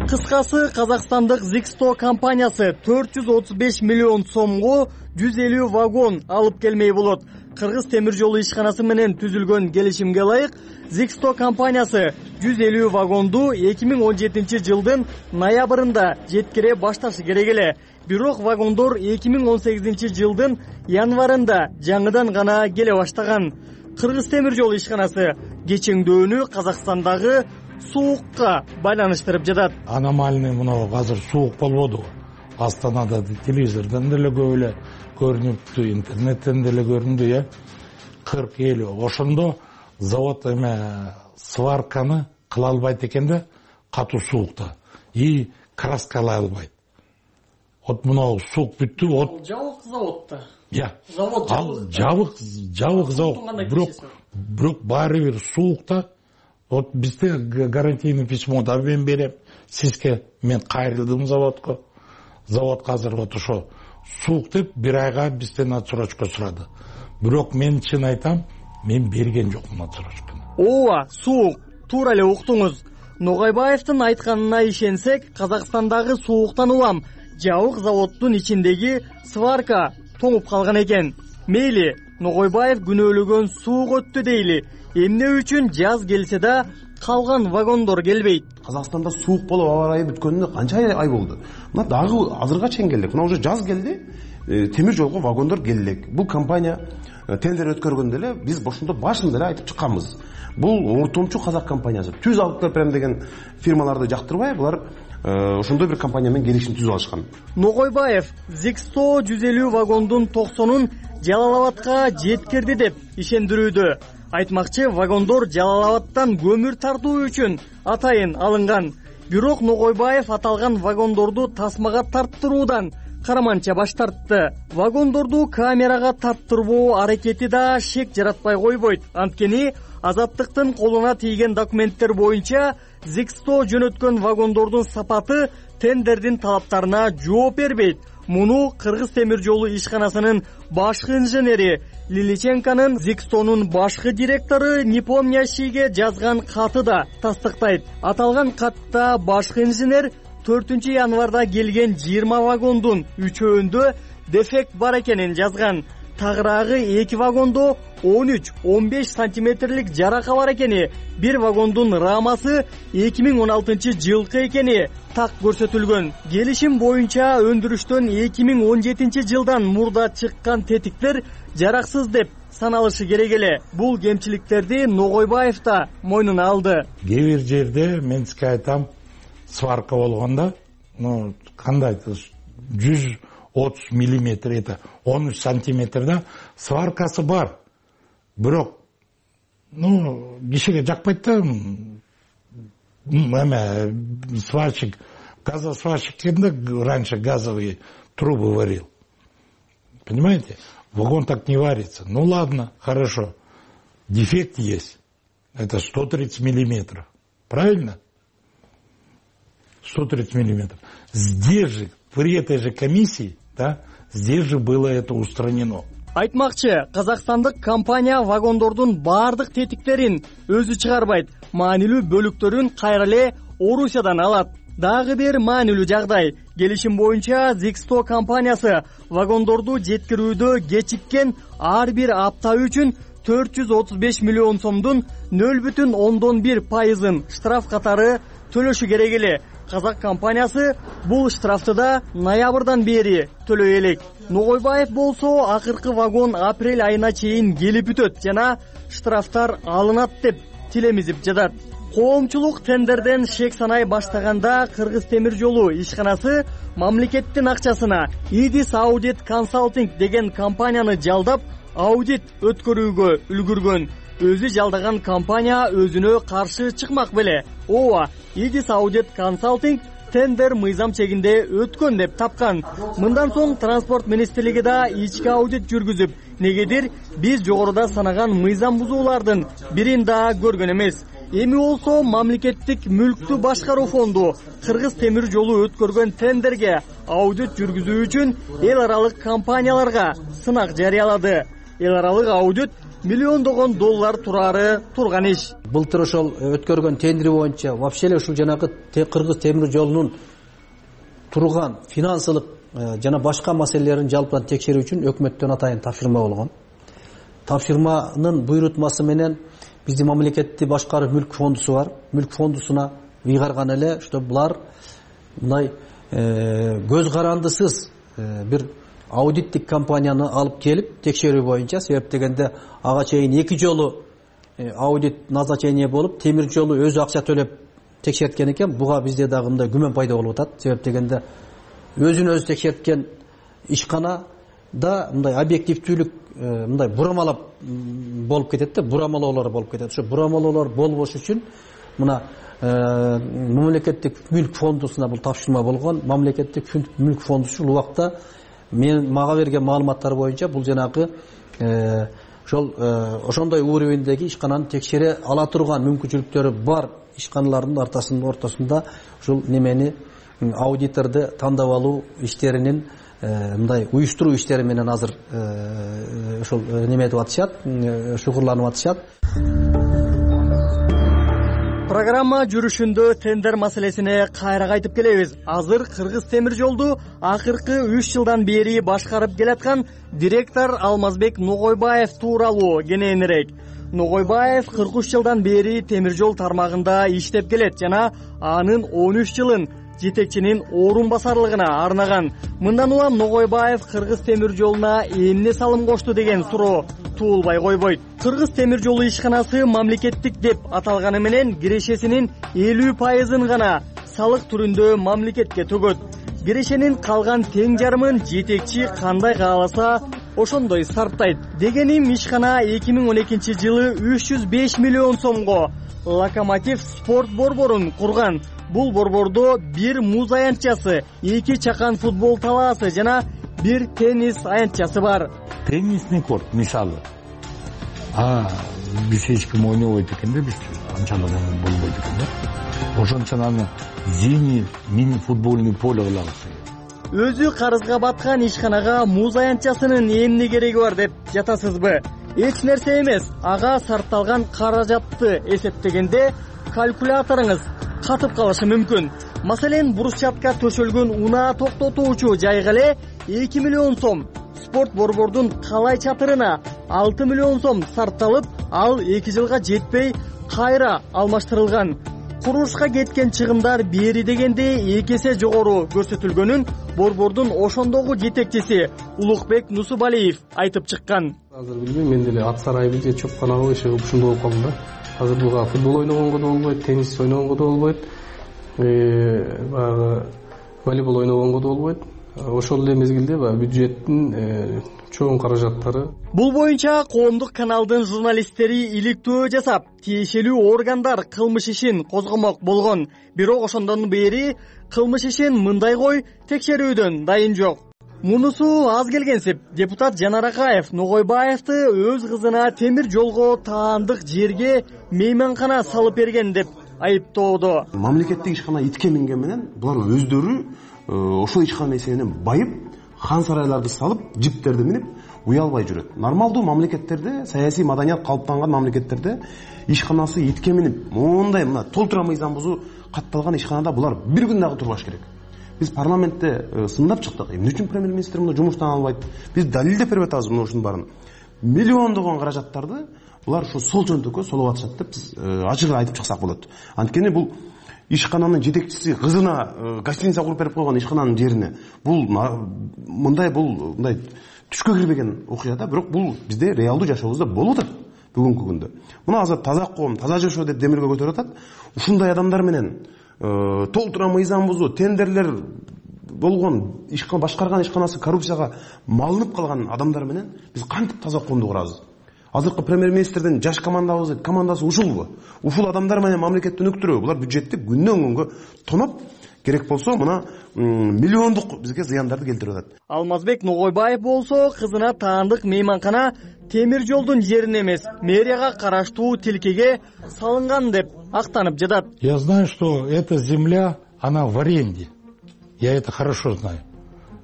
Кыскасы, Казакстандык Zixto компаниясы төрт жүз отуз беш миллион сомго жүз элүү вагон алып келмей болот. Кыргыз темир жолу ишканасы менен түзүлгөн келишимге ылайык, Zixto компаниясы жүз элүү вагонду эки миң он жетинчи жылдын ноябрында жеткире башташы керек эле. Бирок вагондор эки миң он сегизинчи жылдын январында жаңыдан гана келе баштаган. Кыргыз темир жолу ишканасы кечеңдөөнү Казакстандагы суукка байланыштырып жатат. Аномальный мына азыр суук болбоду. Астанада телевизордон деле көп эле көрүнүптү, интернеттен деле көрүндү, э. кырк элүү. Ошондо завод эме сварканы кыла албайт экен да, катуу суукта. И краскалай албайт. Вот мына суук бүттү, вот жабык заводда. Я. Завод ал жабык, жабык завод. Бирок, бирок баары бир суукта. Вот бизде гарантийный письмо да мен берем. Сизге мен кайрылдым заводко. Завод азыр вот ошо суук деп бир айга бизден отсрочка сурады. Бирок мен чын айтам, мен берген жокмун отсрочканы. Ооба, суук, туура эле уктуңуз. Ногойбаевдин айтканына ишенсек, Казакстандагы сууктан улам жабык заводдун ичиндеги сварка тоңуп калган экен. Мейли, Ногойбаев күнөөлөгөн суук өттү дейли. Эмне үчүн жаз келсе да калган вагондор келбейт? Казакстанда суук болуп аба ырайы бүткөнүнө канча ай болду. Мына дагы азырга чейин келдик. Мына уже жаз келди. Темир жолго вагондор келдик. Бул компания тендер өткөргөндө эле биз ошондо башында эле айтып чыкканбыз. Бул ортомчу казак компаниясы. Түз алып келип берем деген фирмаларды жактырбай, булар ошондой бир компания менен келишим түзүп алышкан. Ногойбаев Zixto жүз элүү вагондун токсонун Жалал Абадка жеткирди деп ишендирүүдө. Айтмакчы, вагондор Жалал Абадтан көмүр тартуу үчүн атайын алынган. Бирок Ногойбаев аталган вагондорду тасмага тарттыруудан караманча баш тартты. Вагондорду камерага таптырбоо аракети да шек жаратпай койбойт. Анткени Азаттыктын колуна тийген документтер боюнча Зиксто жөнөткөн вагондордун сапаты тендердин талаптарына жооп бербейт. Муну Кыргыз темир жолу ишканасынын башкы инженери Лиличенконун Зикстонун башкы директору Непомнящийге жазган каты да тастыктайт. Аталган катта башкы инженер төртүнчү январда келген жыйырма вагондун үчөөндө дефект бар экенин жазган. Тагыраагы эки вагондо он үч он беш сантиметрлик жарака бар экени, бир вагондун рамасы эки миң он алтынчы жылкы экени так көрсөтүлгөн. Келишим боюнча өндүрүштөн эки миң он жетинчи жылдан мурда чыккан тетиктер жараксыз деп саналышы керек эле. Бул кемчиликтерди Ногойбаев да мойнуна алды. Кээ бир жерде мен сизге айтам, сварка болгондо, ну кандай жүз отуз миллиметр, это он үч сантиметрда сваркасы бар. Бирок, ну, кишиге жакпайт да, эме сварщик, газосварщик дегенде раньше газовые трубы варил. Понимаете? Вагон так не варится. Ну ладно, хорошо. Дефект есть. Это сто тридцать миллиметров. Правильно? сто тридцать миллиметров. Здесь же, при этой же комиссии, да, здесь же было это устранено. Айтмакчы, казакстандык компания вагондордун бардык тетиктерин өзү чыгарбайт. Маанилүү бөлүктөрүн кайра эле Орусиядан алат. Дагы бир маанилүү жагдай. Келишим боюнча Зиксто компаниясы вагондорду жеткирүүдө кечиккен ар бир апта үчүн төрт жүз отуз беш миллион сомдун нөл бүтүн ондон бир пайызын штраф катары төлөшү керек эле. Казак компаниясы бул штрафты да ноябрдан бери төлөй элек. Ногойбаев болсо акыркы вагон апрель айына чейин келип бүтөт жана штрафтар алынат деп тилемизип жатат. Коомчулук тендерден шек санай баштаганда Кыргыз темир жолу ишканасы мамлекеттин акчасына Идис Audit Consulting деген компанияны жалдап аудит өткөрүүгө үлгүргөн. Өзү жалдаган компания өзүнө каршы чыкмак беле. Ооба, Идис Audit Consulting тендер мыйзам чегинде өткөн деп тапкан. Мындан соң транспорт министрлиги да ички аудит жүргүзүп, негедир биз жогоруда санаган мыйзам бузуулардын бирин да көргөн эмес. Эми болсо мамлекеттик мүлктү башкаруу фонду Кыргыз темир жолу өткөргөн тендерге аудит жүргүзүү үчүн эл аралык компанияларга сынак жарыялады. Эл аралык аудит миллиондогон доллар турары турган иш. Былтыр ошол өткөргөн тендер боюнча вообще эле ушул жанагы Кыргыз темир жолунун турган финансылык жана башка маселелерин жалпынан текшерүү үчүн өкмөттөн атайын тапшырма болгон. Тапшырманын буйрутмасы менен биздин мамлекетти башкаруу мүлк фондусу бар. Мүлк фондусуна ыйгарган эле, что булар мындай көз карандысыз бир аудиттик компанияны алып келип текшерүү боюнча, себеп дегенде ага чейин эки жолу аудит назначение болуп, темир жолу өзү акча төлөп текшерткен экен. Буга бизде дагы мындай күмөн пайда болуп атат. Себеп дегенде өзүн өзү текшерткен ишкана да мындай объективдүүлүк мындай бурамалап болуп кетет да, бурамалоолор болуп кетет. Ошо бурамалоолор болбош үчүн мына мамлекеттик мүлк фондусуна бул тапшырма болгон. Мамлекеттик мүлк фондусу ушул убакта мен мага берген маалыматтар боюнча бул жанагы ошол ошондой уровеньдеги ишкананы текшере ала турган мүмкүнчүлүктөрү бар ишканалардын ортосунда ушул немени аудиторду тандап алуу иштеринин мындай уюштуруу иштери менен азыр ошол неметип атышат, шугурланып атышат. Программа жүрүшүндө тендер маселесине кайра кайтып келебиз. Азыр Кыргыз темир жолду акыркы үч жылдан бери башкарып келаткан директор Алмазбек Ногойбаев тууралуу кененирээк. Ногойбаев кырк үч жылдан бери темир жол тармагында иштеп келет жана анын он үч жылын жетекчинин орун басарлыгына арнаган. Мындан улам Ногойбаев Кыргыз темир жолуна эмне салым кошту деген суроо туулбай койбойт. Кыргыз темир жолу ишканасы мамлекеттик деп аталганы менен кирешесинин элүү пайызын гана салык түрүндө мамлекетке төгөт. Кирешенин калган тең жарымын жетекчи кандай кааласа ошондой сарптайт. Дегеним ишкана эки миң он экинчи жылы үч жүз беш миллион сомго Локомотив спорт борборун курган. Бул борбордо бир муз аянтчасы, эки чакан футбол талаасы жана бир теннис аянтчасы бар. Теннисный корт мисалы. А биз эч ким ойнобойт экен да, биз анчалык болбойт экен да. Ошончон аны зимний мини футбольный поле кылагыз. Өзү карызга баткан ишканага муз аянтчасынын эмне кереги бар деп жатасызбы? Эч нерсе эмес. Ага сарпталган каражатты эсептегенде калькуляторуңуз катып калышы мүмкүн. Маселен, брусчатка төшөлгөн унаа токтотуучу жайга эле эки миллион сом, спорт борбордун калай чатырына алты миллион сом сарпталып, ал эки жылга жетпей кайра алмаштырылган. Курулушка кеткен чыгымдар бери дегенде эки эсе жогору көрсөтүлгөнүн борбордун ошондогу жетекчиси Улукбек Нусубалиев айтып чыккан. Азыр билбейм, мен деле ат сарайбы же чопканабы иши ушундай болуп калдым да. Азыр буга футбол ойногонго да болбойт, теннис ойногонго да болбойт, баягы волейбол ойногонго да болбойт. Ошол эле мезгилде баягы бюджеттин чоң каражаттары. Бул боюнча коомдук каналдын журналисттери иликтөө жасап, тиешелүү органдар кылмыш ишин козгомок болгон. Бирок ошондон бери кылмыш ишин мындай кой текшерүүдөн дайын жок. Мунусу аз келгенсип, депутат Жанар Акаев Ногойбаевди өз кызына темир жолго таандык жерге мейманкана салып берген деп айыптоодо. Мамлекеттик ишкана итке минген менен булар өздөрү ошол ишкана эсебинен байып, хан сарайларды салып, жиптерди минип уялбай жүрөт. Нормалдуу мамлекеттерде, саясий маданият калыптанган мамлекеттерде ишканасы итке минип, мондай мына толтура мыйзам бузуу катталган ишканада булар бир күн дагы турбаш керек. Биз парламентте сындап чыктык. Эмне үчүн премьер-министр муну жумуштан албайт? Биз далилдеп берип атабыз мына ушунун баарын. Миллиондогон каражаттарды булар ушу сол жөнтөккө солуп атышат деп биз ачык айтып чыксак болот. Анткени бул ишкананын жетекчиси кызына гостиница куруп берип койгон ишкананын жерине. Бул мындай бул мындай түшкө кирбеген окуя да, бирок бул бизде реалдуу жашообузда болуп атат бүгүнкү күндө. Мына азыр таза коом, таза жашоо деп демирге көтөрүп атат. Ушундай адамдар менен толтура мыйзам бузуу, тендерлер болгон, ишкана башкарган ишканасы коррупцияга малынып калган адамдар менен биз кантип таза коомду курабыз? Азыркы премьер-министрдин жаш командабыз, командасы ушулбу? Ушул адамдар менен мамлекетти өнүктүрөбү? Булар бюджетти күндөн күнгө тоноп, керек болсо мына миллиондук бизге зыяндарды келтирип атат. Алмазбек Ногойбаев болсо кызына таандык мейманкана темир жолдун жерине эмес, мэрияга караштуу тилкеге салынган деп актанып жатат. Я знаю, что эта земля, она в аренде. Я это хорошо знаю.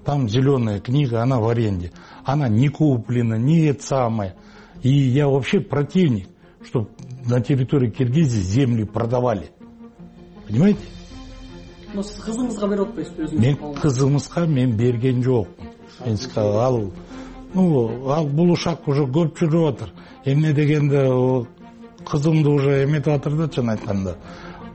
Там зеленая книга, она в аренде. Она не куплена, не это самое. И я вообще противник, чтобы на территории Киргизии земли продавали. Понимаете? Но сиз кызыңызга берип атпайсызбы өзүңүз? Мен кызымызга мен берген жокмун. Мен ал ну, ал бул ушак уже көп жүрүп атыр. Эмне дегенде кызымды уже эметип атыр да, чын айтканда.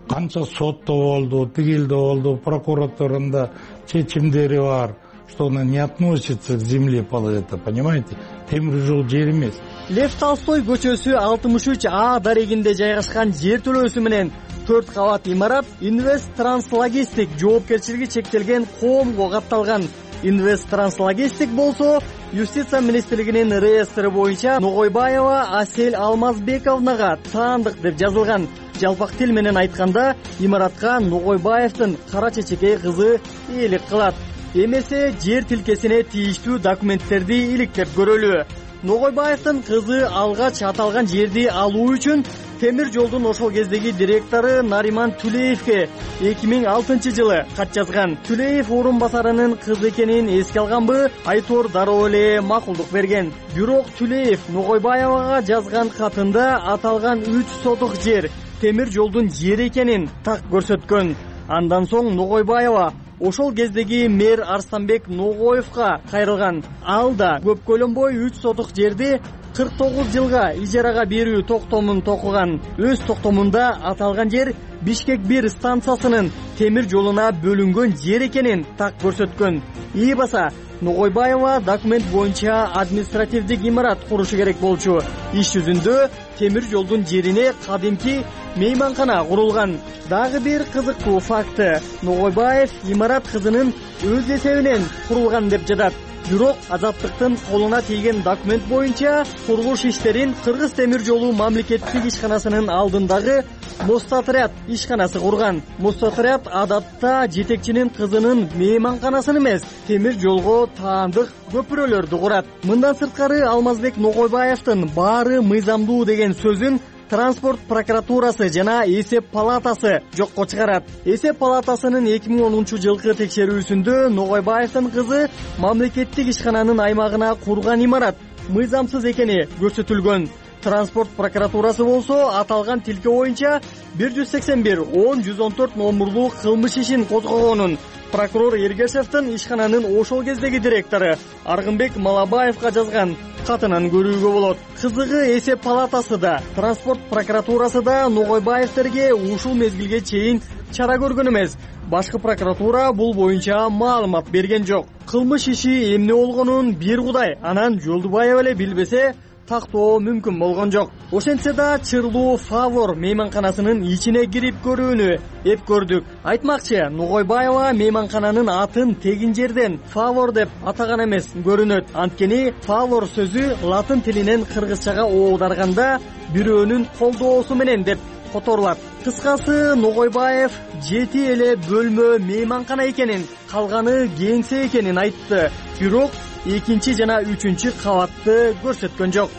Канча сотто болду, тигилде болду, прокуратурада чечимдери бар, что она не относится к земле, это, понимаете? Темир жол жер эмес. Лев Толстой көчөсү алтымыш үч А дарегинде жайгашкан жер төлөөсү менен төрт кабат имарат Инвест Транслогистик жоопкерчилиги чектелген коомго катталган. Инвест Транслогистик болсо Юстиция министрлигинин реестры боюнча Ногойбаева Асель Алмазбековнага таандык деп жазылган. Жалпак тил менен айтканда, имаратка Ногойбаевдин кара чечекей кызы ээлик кылат. Эмесе жер тилкесине тийиштүү документтерди иликтеп көрөлү. Ногойбаевдин кызы алгач аталган жерди алуу үчүн темир жолдун ошол кездеги директору Нариман Түлеевке эки миң алтынчы жылы кат жазган. Түлеев орун басарынын кызы экенин эске алганбы, Айтор дароо эле макулдук берген. Бирок Түлеев Ногойбаевага жазган катында аталган үч сотук жер темир жолдун жери экенин так көрсөткөн. Андан соң Ногойбаева ошол кездеги мэр Арстанбек Ногоевго кайрылган. Ал да көп көлөнбөй үч сотук жерди кырк тогуз жылга ижарага берүү токтомун токуган. Өз токтомунда аталган жер Бишкек бир станциясынын темир жолуна бөлүнгөн жер экенин так көрсөткөн. И баса Ногойбаева документ боюнча административдик имарат курушу керек болчу. Иш жүзүндө темир жолдун жерине кадимки мейманкана курулган. Дагы бир кызыктуу факты: Ногойбаев имарат кызынын өз эсебинен курулган деп жатат. Бирок Азаттыктын колуна тийген документ боюнча курулуш иштерин Кыргыз темир жолу мамлекеттик ишканасынын алдындагы Мостотряд ишканасы курган. Мостотряд адатта жетекчинин кызынын мейманканасын эмес, темир жолго таандык көпүрөлөрдү курат. Мындан сырткары Алмазбек Ногойбаевдин баары мыйзамдуу деген сөзүн Транспорт прокуратурасы жана эсеп палатасы жокко чыгарат. Эсеп палатасынын эки миң онунчу жылкы текшерүүсүндө Ногойбаевдин кызы мамлекеттик ишкананын аймагына курган имарат мыйзамсыз экени көрсөтүлгөн. Транспорт прокуратурасы болсо аталган тилке боюнча бир жүз сексен бир он жүз он төрт номурлуу кылмыш ишин козгогонун прокурор Эргешевдин ишкананын ошол кездеги директору Аргынбек Малабаевга жазган катынан көрүүгө болот. Кызыгы эсеп палатасы да, транспорт прокуратурасы да Ногойбаевдерге ушул мезгилге чейин чара көргөн эмес. Башкы прокуратура бул боюнча маалымат берген жок. Кылмыш иши эмне болгонун бир Кудай, анан Жолдубаев эле билбесе тактоо мүмкүн болгон жок. Ошентсе да чырлуу Фавор мейманканасынын ичине кирип көрүүнү эп көрдүк. Айтмакчы, Ногойбаева мейманкананын атын тегин жерден Фавор деп атаган эмес көрүнөт. Анткени Фавор сөзү латын тилинен кыргызчага оодарганда бирөөнүн колдоосу менен деп которулат. Кыскасы, Ногойбаев жети эле бөлмө мейманкана экенин, калганы кеңсе экенин айтты. Бирок экинчи жана үчүнчү кабатты көрсөткөн жок.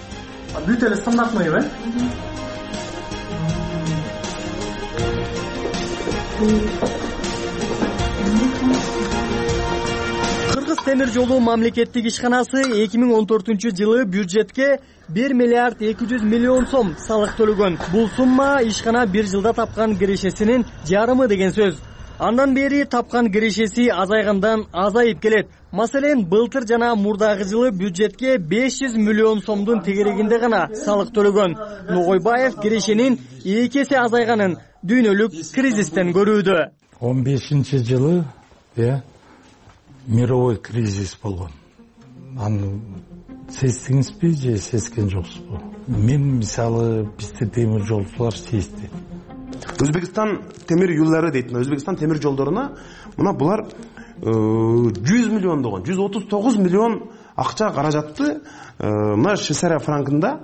Бүт эле стандартный э? Кыргыз темир жолу мамлекеттик ишканасы эки миң он төртүнчү жылы бюджетке бир миллиард эки жүз миллион сом салык төлөгөн. Бул сумма ишкана бир жылда тапкан кирешесинин жарымы деген сөз. Андан бери тапкан кирешеси азайгандан азайып келет. Маселен, былтыр жана мурдагы жылы бюджетке беш жүз миллион сомдун тегерегинде гана салык төлөгөн. Ногойбаев кирешенин эки эсе азайганын дүйнөлүк кризистен көрүүдө. он бешинчи жылы э мировой кризис болгон. Аны сездиңизби же сезген жоксузбу? Мен мисалы бизде темир жолчулар сезди. Өзбекстан темир юллары дейт. Өзбекстан темир жолдоруна мына булар жүз миллион болгон, жүз отуз тогуз миллион акча каражатты мына Швейцария франкында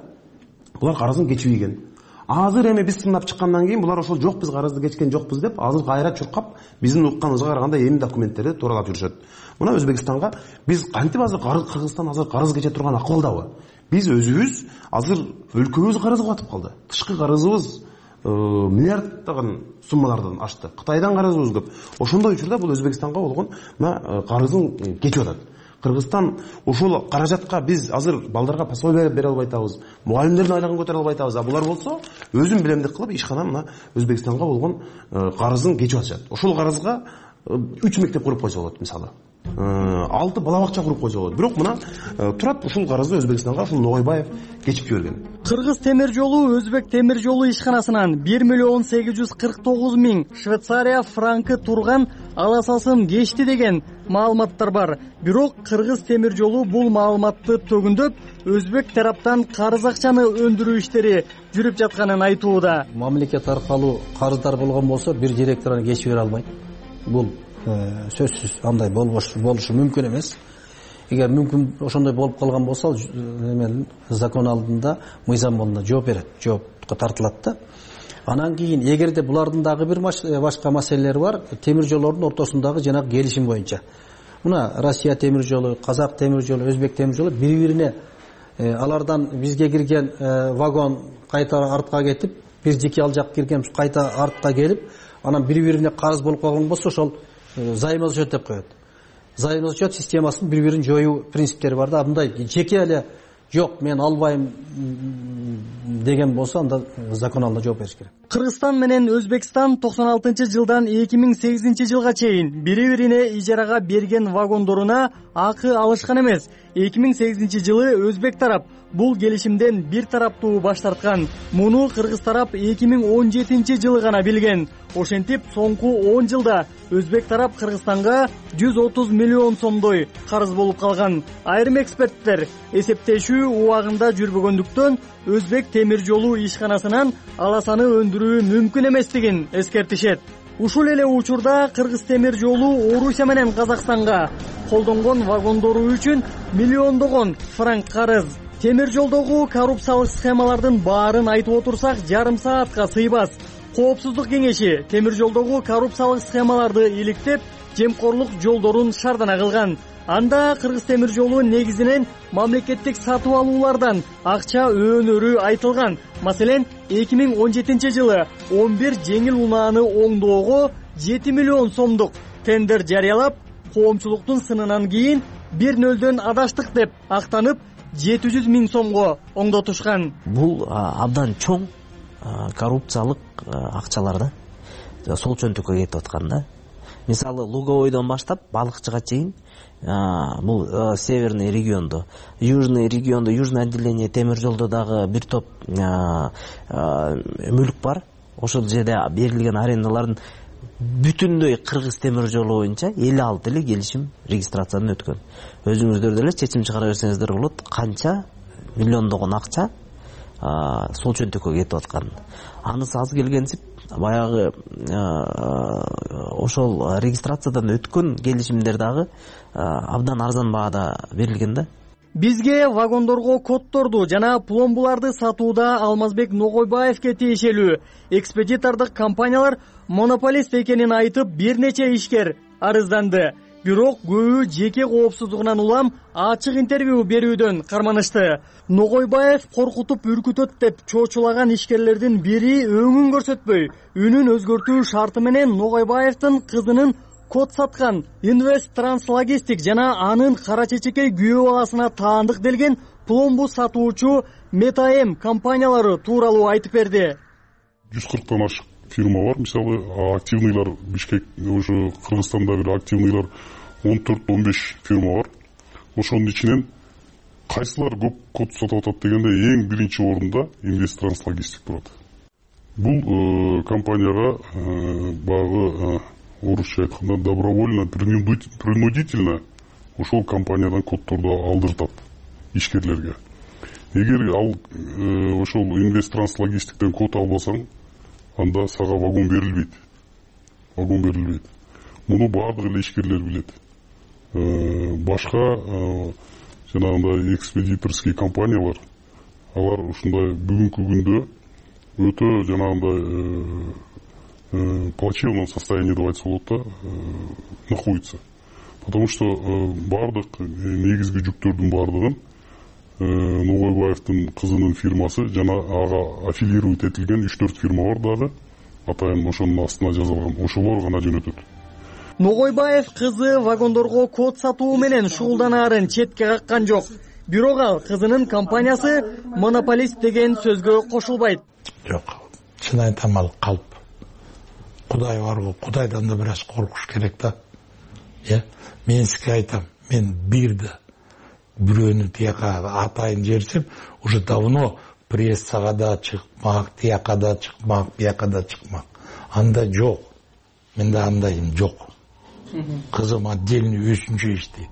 булар карызын кечибеген. Азыр эми биз сындап чыккандан кийин булар ошол жок, биз карызды кечкен жокпуз деп азыр кайра чуркап биздин укканыбызга караганда эми документтерди тууралап жүрүшөт. Мына Өзбекстанга биз кантип азыр Кыргызстан азыр карыз кече турган акыбалдабы? Биз өзүбүз азыр өлкөбүз карызга батып калды. Тышкы карызыбыз миллиарддаган суммалардан ашты. Кытайдан карызыбыз көп. Ошондой учурда бул Өзбекстанга болгон мына карызын кечип атат. Кыргызстан ушул каражатка биз азыр балдарга пособие бере албай атабыз, мугалимдердин айлыгын көтөрө албай атабыз. А булар болсо өзүн билемдик кылып ишкана мына Өзбекстанга болгон карызын кечип атышат. Ошол карызга үч мектеп куруп койсо болот мисалы. алты бала бакча куруп койсо болот. Бирок мына турат ушул карызды Өзбекстанга ушул Ногойбаев кечип жиберген. Кыргыз темир жолу Өзбек темир жолу ишканасынан бир миллион сегиз жүз кырк тогуз миң Швейцария франкы турган аласасын кечти деген маалыматтар бар. Бирок Кыргыз темир жолу бул маалыматты төгүндөп, өзбек тараптан карыз акчаны өндүрүү иштери жүрүп жатканын айтууда. Мамлекет аркылуу карыздар болгон болсо бир директор аны кечип бере албайт. Бул сөзсүз андай болбошу болушу мүмкүн эмес. Эгер мүмкүн ошондой болуп калган болсо, эме закон алдында, мыйзам алдында жооп берет, жоопко тартылат да. Анан кийин эгерде булардын дагы бир башка маселелери бар, темир жолдордун ортосундагы жанагы келишим боюнча. Мына Россия темир жолу, Казак темир жолу, Өзбек темир жолу бири-бирине алардан бизге кирген вагон кайта артка кетип, бир жеке ал жак кирген кайта артка келип, анан бири-бирине карыз болуп калган болсо, ошол взаимозачет деп коет. Взаимозачет системасынын бири-бирин жоюу принциптери бар да. Мындай жеке эле жок, мен албайм деген болсо, анда закон алдында жооп бериш керек. Кыргызстан менен Өзбекстан токсон алтынчы жылдан эки миң сегизинчи жылга чейин бири-бирине ижарага берген вагондоруна акы алышкан эмес. эки миң сегизинчи жылы Өзбек тарап бул келишимден бир тараптуу баш тарткан. Муну Кыргыз тарап эки миң он жетинчи жылы гана билген. Ошентип, соңку он жылда Өзбек тарап Кыргызстанга жүз отуз миллион сомдой карыз болуп калган. Айрым эксперттер эсептешүү убагында жүрбөгөндүктөн Өзбек темир жолу ишканасынан аласаны өндүрүү мүмкүн эместигин эскертишет. Ушул эле учурда Кыргыз темир жолу Орусия менен Казакстанга колдонгон вагондору үчүн миллиондогон франк карыз. Темир жолдогу коррупциялык схемалардын баарын айтып отурсак, жарым саатка сыйбас. Коопсуздук кеңеши темир жолдогу коррупциялык схемаларды иликтеп, жемкорлук жолдорун шардана кылган. Анда Кыргыз темир жолу негизинен мамлекеттик сатып алуулардан акча өөнөрү айтылган. Маселен, эки миң он жетинчи жылы он бир жеңил унааны оңдоого жети миллион сомдук тендер жарыялап, коомчулуктун сынынан кийин бир нөлдөн адаштык деп актанып, жети жүз миң сомго оңдотушкан. Бул абдан чоң коррупциялык акчалар да сол чөнтөккө кетип аткан да. Мисалы, Луговойдон баштап балыкчыга чейин бул северный региондо, южный региондо, южный отделение темир жолдо дагы бир топ мүлк бар. Ошол жерде берилген арендалардын бүтүндөй Кыргыз темир жолу боюнча элүү алты эле келишим регистрациядан өткөн. Өзүңүздөр деле чечим чыгара берсеңиздер болот, канча миллиондогон акча сол чөнтөккө кетип аткан. Анысы аз келгенсип, баягы ошол регистрациядан өткөн келишимдер дагы абдан арзан баада берилген да. Бизге вагондорго коддорду жана пломбуларды сатууда Алмазбек Ногойбаевке тиешелүү экспедитордук компаниялар монополист экенин айтып, бир нече ишкер арызданды. Бирок көбү жеке коопсуздугунан улам ачык интервью берүүдөн карманышты. Ногойбаев коркутуп үркүтөт деп чоочулаган ишкерлердин бири өңүн көрсөтпөй, үнүн өзгөртүү шарты менен Ногойбаевдин кызынын код саткан Инвест Транслогистик жана анын кара чечекей күйөө баласына таандык делген пломбу сатуучу Метаэм компаниялары тууралуу айтып берди. жүз кырктан ашык фирма бар. Мисалы, активныйлар Бишкек, ошо Кыргызстанда бир активныйлар он төрт он беш фирма бар. Ошонун ичинен кайсылар көп код сатып атат дегенде эң биринчи орунда Инвест Транслогистик турат. Бул компанияга багы орусча айтканда добровольно, принудительно ошол компаниядан коддорду алдыртат ишкерлерге. Эгер ал ошол Инвест Транслогистиктен код албасаң, анда сага вагон берилбейт. Вагон берилбейт. Муну бардык эле ишкерлер билет. Башка жанагындай экспедиторский компаниялар, алар ушундай бүгүнкү күндө өтө жанагындай плачевном состоянии, деп айтса болот да, находится. Потому что бардык негизги жүктөрдүн бардыгын Ногойбаевдин кызынын фирмасы жана ага аффилировать этилген үч төрт фирма бар дагы, атайын ошонун астына жазылган. Ошолор гана жөнөтөт. Ногойбаев кызы вагондорго код сатуу менен шугулданаарын четке каккан жок. Бирок ал кызынын компаниясы монополист деген сөзгө кошулбайт. Жок, чын айтам, ал калп. Кудай барго, Кудайдан да бир аз коркуш керек да. Э, мен сизге айтам, мен бирди бирөөнү тияка атайын жерсем, уже давно прессага да чыкмак, тияка да чыкмак, бияка да чыкмак. Анда жок. Менде андайым жок. Кызым отдельный өзүнчө иштейт.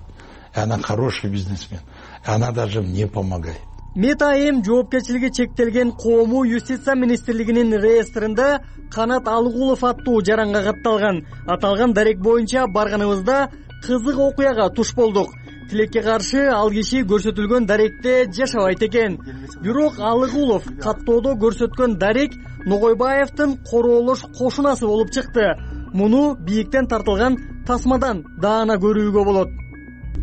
Она хороший бизнесмен. Она даже мне помогает. Метаэм жоопкерчилиги чектелген коому юстиция министрлигинин реестринде Канат Алыгулов аттуу жаранга катталган. Аталган дарек боюнча барганыбызда кызык окуяга туш болдук. Тилекке каршы ал киши көрсөтүлгөн даректе жашабайт экен. Бирок Алыгулов каттоодо көрсөткөн дарек Ногойбаевдин короолош кошунасы болуп чыкты. Муну бийиктен тартылган тасмадан даана көрүүгө болот.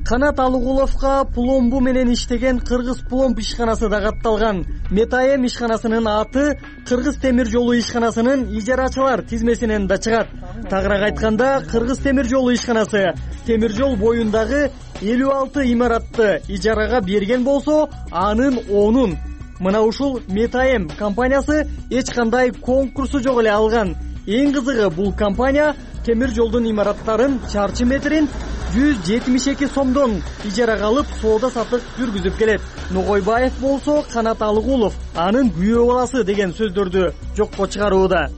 Канат Алыгуловго пломбу менен иштеген Кыргыз пломб ишканасы да катталган. Метаэм ишканасынын аты Кыргыз темир жолу ишканасынын ижарачылар тизмесинен да чыгат. Тагыраак айтканда, Кыргыз темир жолу ишканасы темир жол боюндагы элүү алты имаратты ижарага берген болсо, анын онун мына ушул Метаэм компаниясы эч кандай конкурсу жок эле алган. Эң кызыгы, бул компания темир жолдун имараттарын чарчы метрин жүз жетимиш эки сомдон ижарага алып, соода сатык жүргүзүп келет. Ногойбаев болсо Канат Алыгулов анын күйөө баласы деген сөздөрдү жокко чыгарууда.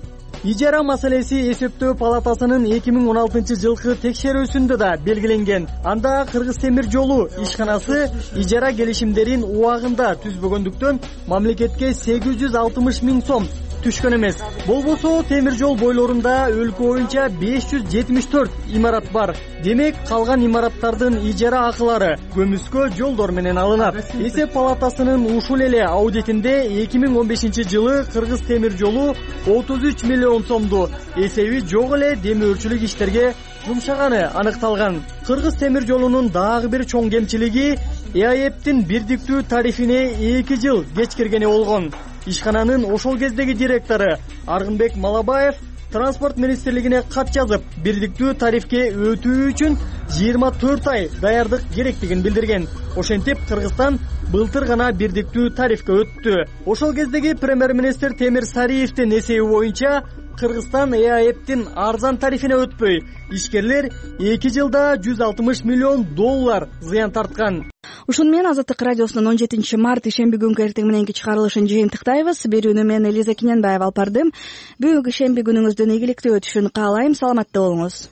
Ижара маселеси эсептөө палатасынын эки миң он алтынчы жылкы текшерүүсүндө да белгиленген. Анда Кыргыз темир жолу ишканасы ижара келишимдерин убагында түзбөгөндүктөн мамлекетке сегиз жүз алтымыш миң сом түшкөн эмес. Болбосо темир жол бойлорунда өлкө боюнча беш жүз жетимиш төрт имарат бар. Демек калган имараттардын ижара акылары көмүскө жолдор менен алынат. Эсеп палатасынын ушул эле аудитинде эки миң он бешинчи жылы Кыргыз темир жолу отуз үч миллион сомду эсеби жок эле демөөрчүлүк иштерге жумшаганы аныкталган. Кыргыз темир жолунун дагы бир чоң кемчилиги ЭАЭптин бирдиктүү тарифине эки жыл кечкиргени болгон. Ишкананын ошол кездеги директору Аргынбек Малабаев транспорт министрлигине кат жазып, бирдиктүү тарифке өтүү үчүн жыйырма төрт ай даярдык керектигин билдирген. Ошентип Кыргызстан былтыр гана бирдиктүү тарифке өттү. Ошол кездеги премьер-министр Темир Сариевдин эсеби боюнча Кыргызстан ЭАЭптин арзан тарифине өтпөй, ишкерлер эки жылда жүз алтымыш миллион доллар зыян тарткан. Ушуну менен Азаттык радиосунун он жетинчи март ишемби күнкү эртең мененки чыгарылышын жыйынтыктайбыз. Берүүнү мен Элиза Киненбаева алып бардым. Бүгүнкү ишемби күнүңүздүн ийгиликтүү өтүшүн каалайм. Саламатта болуңуз.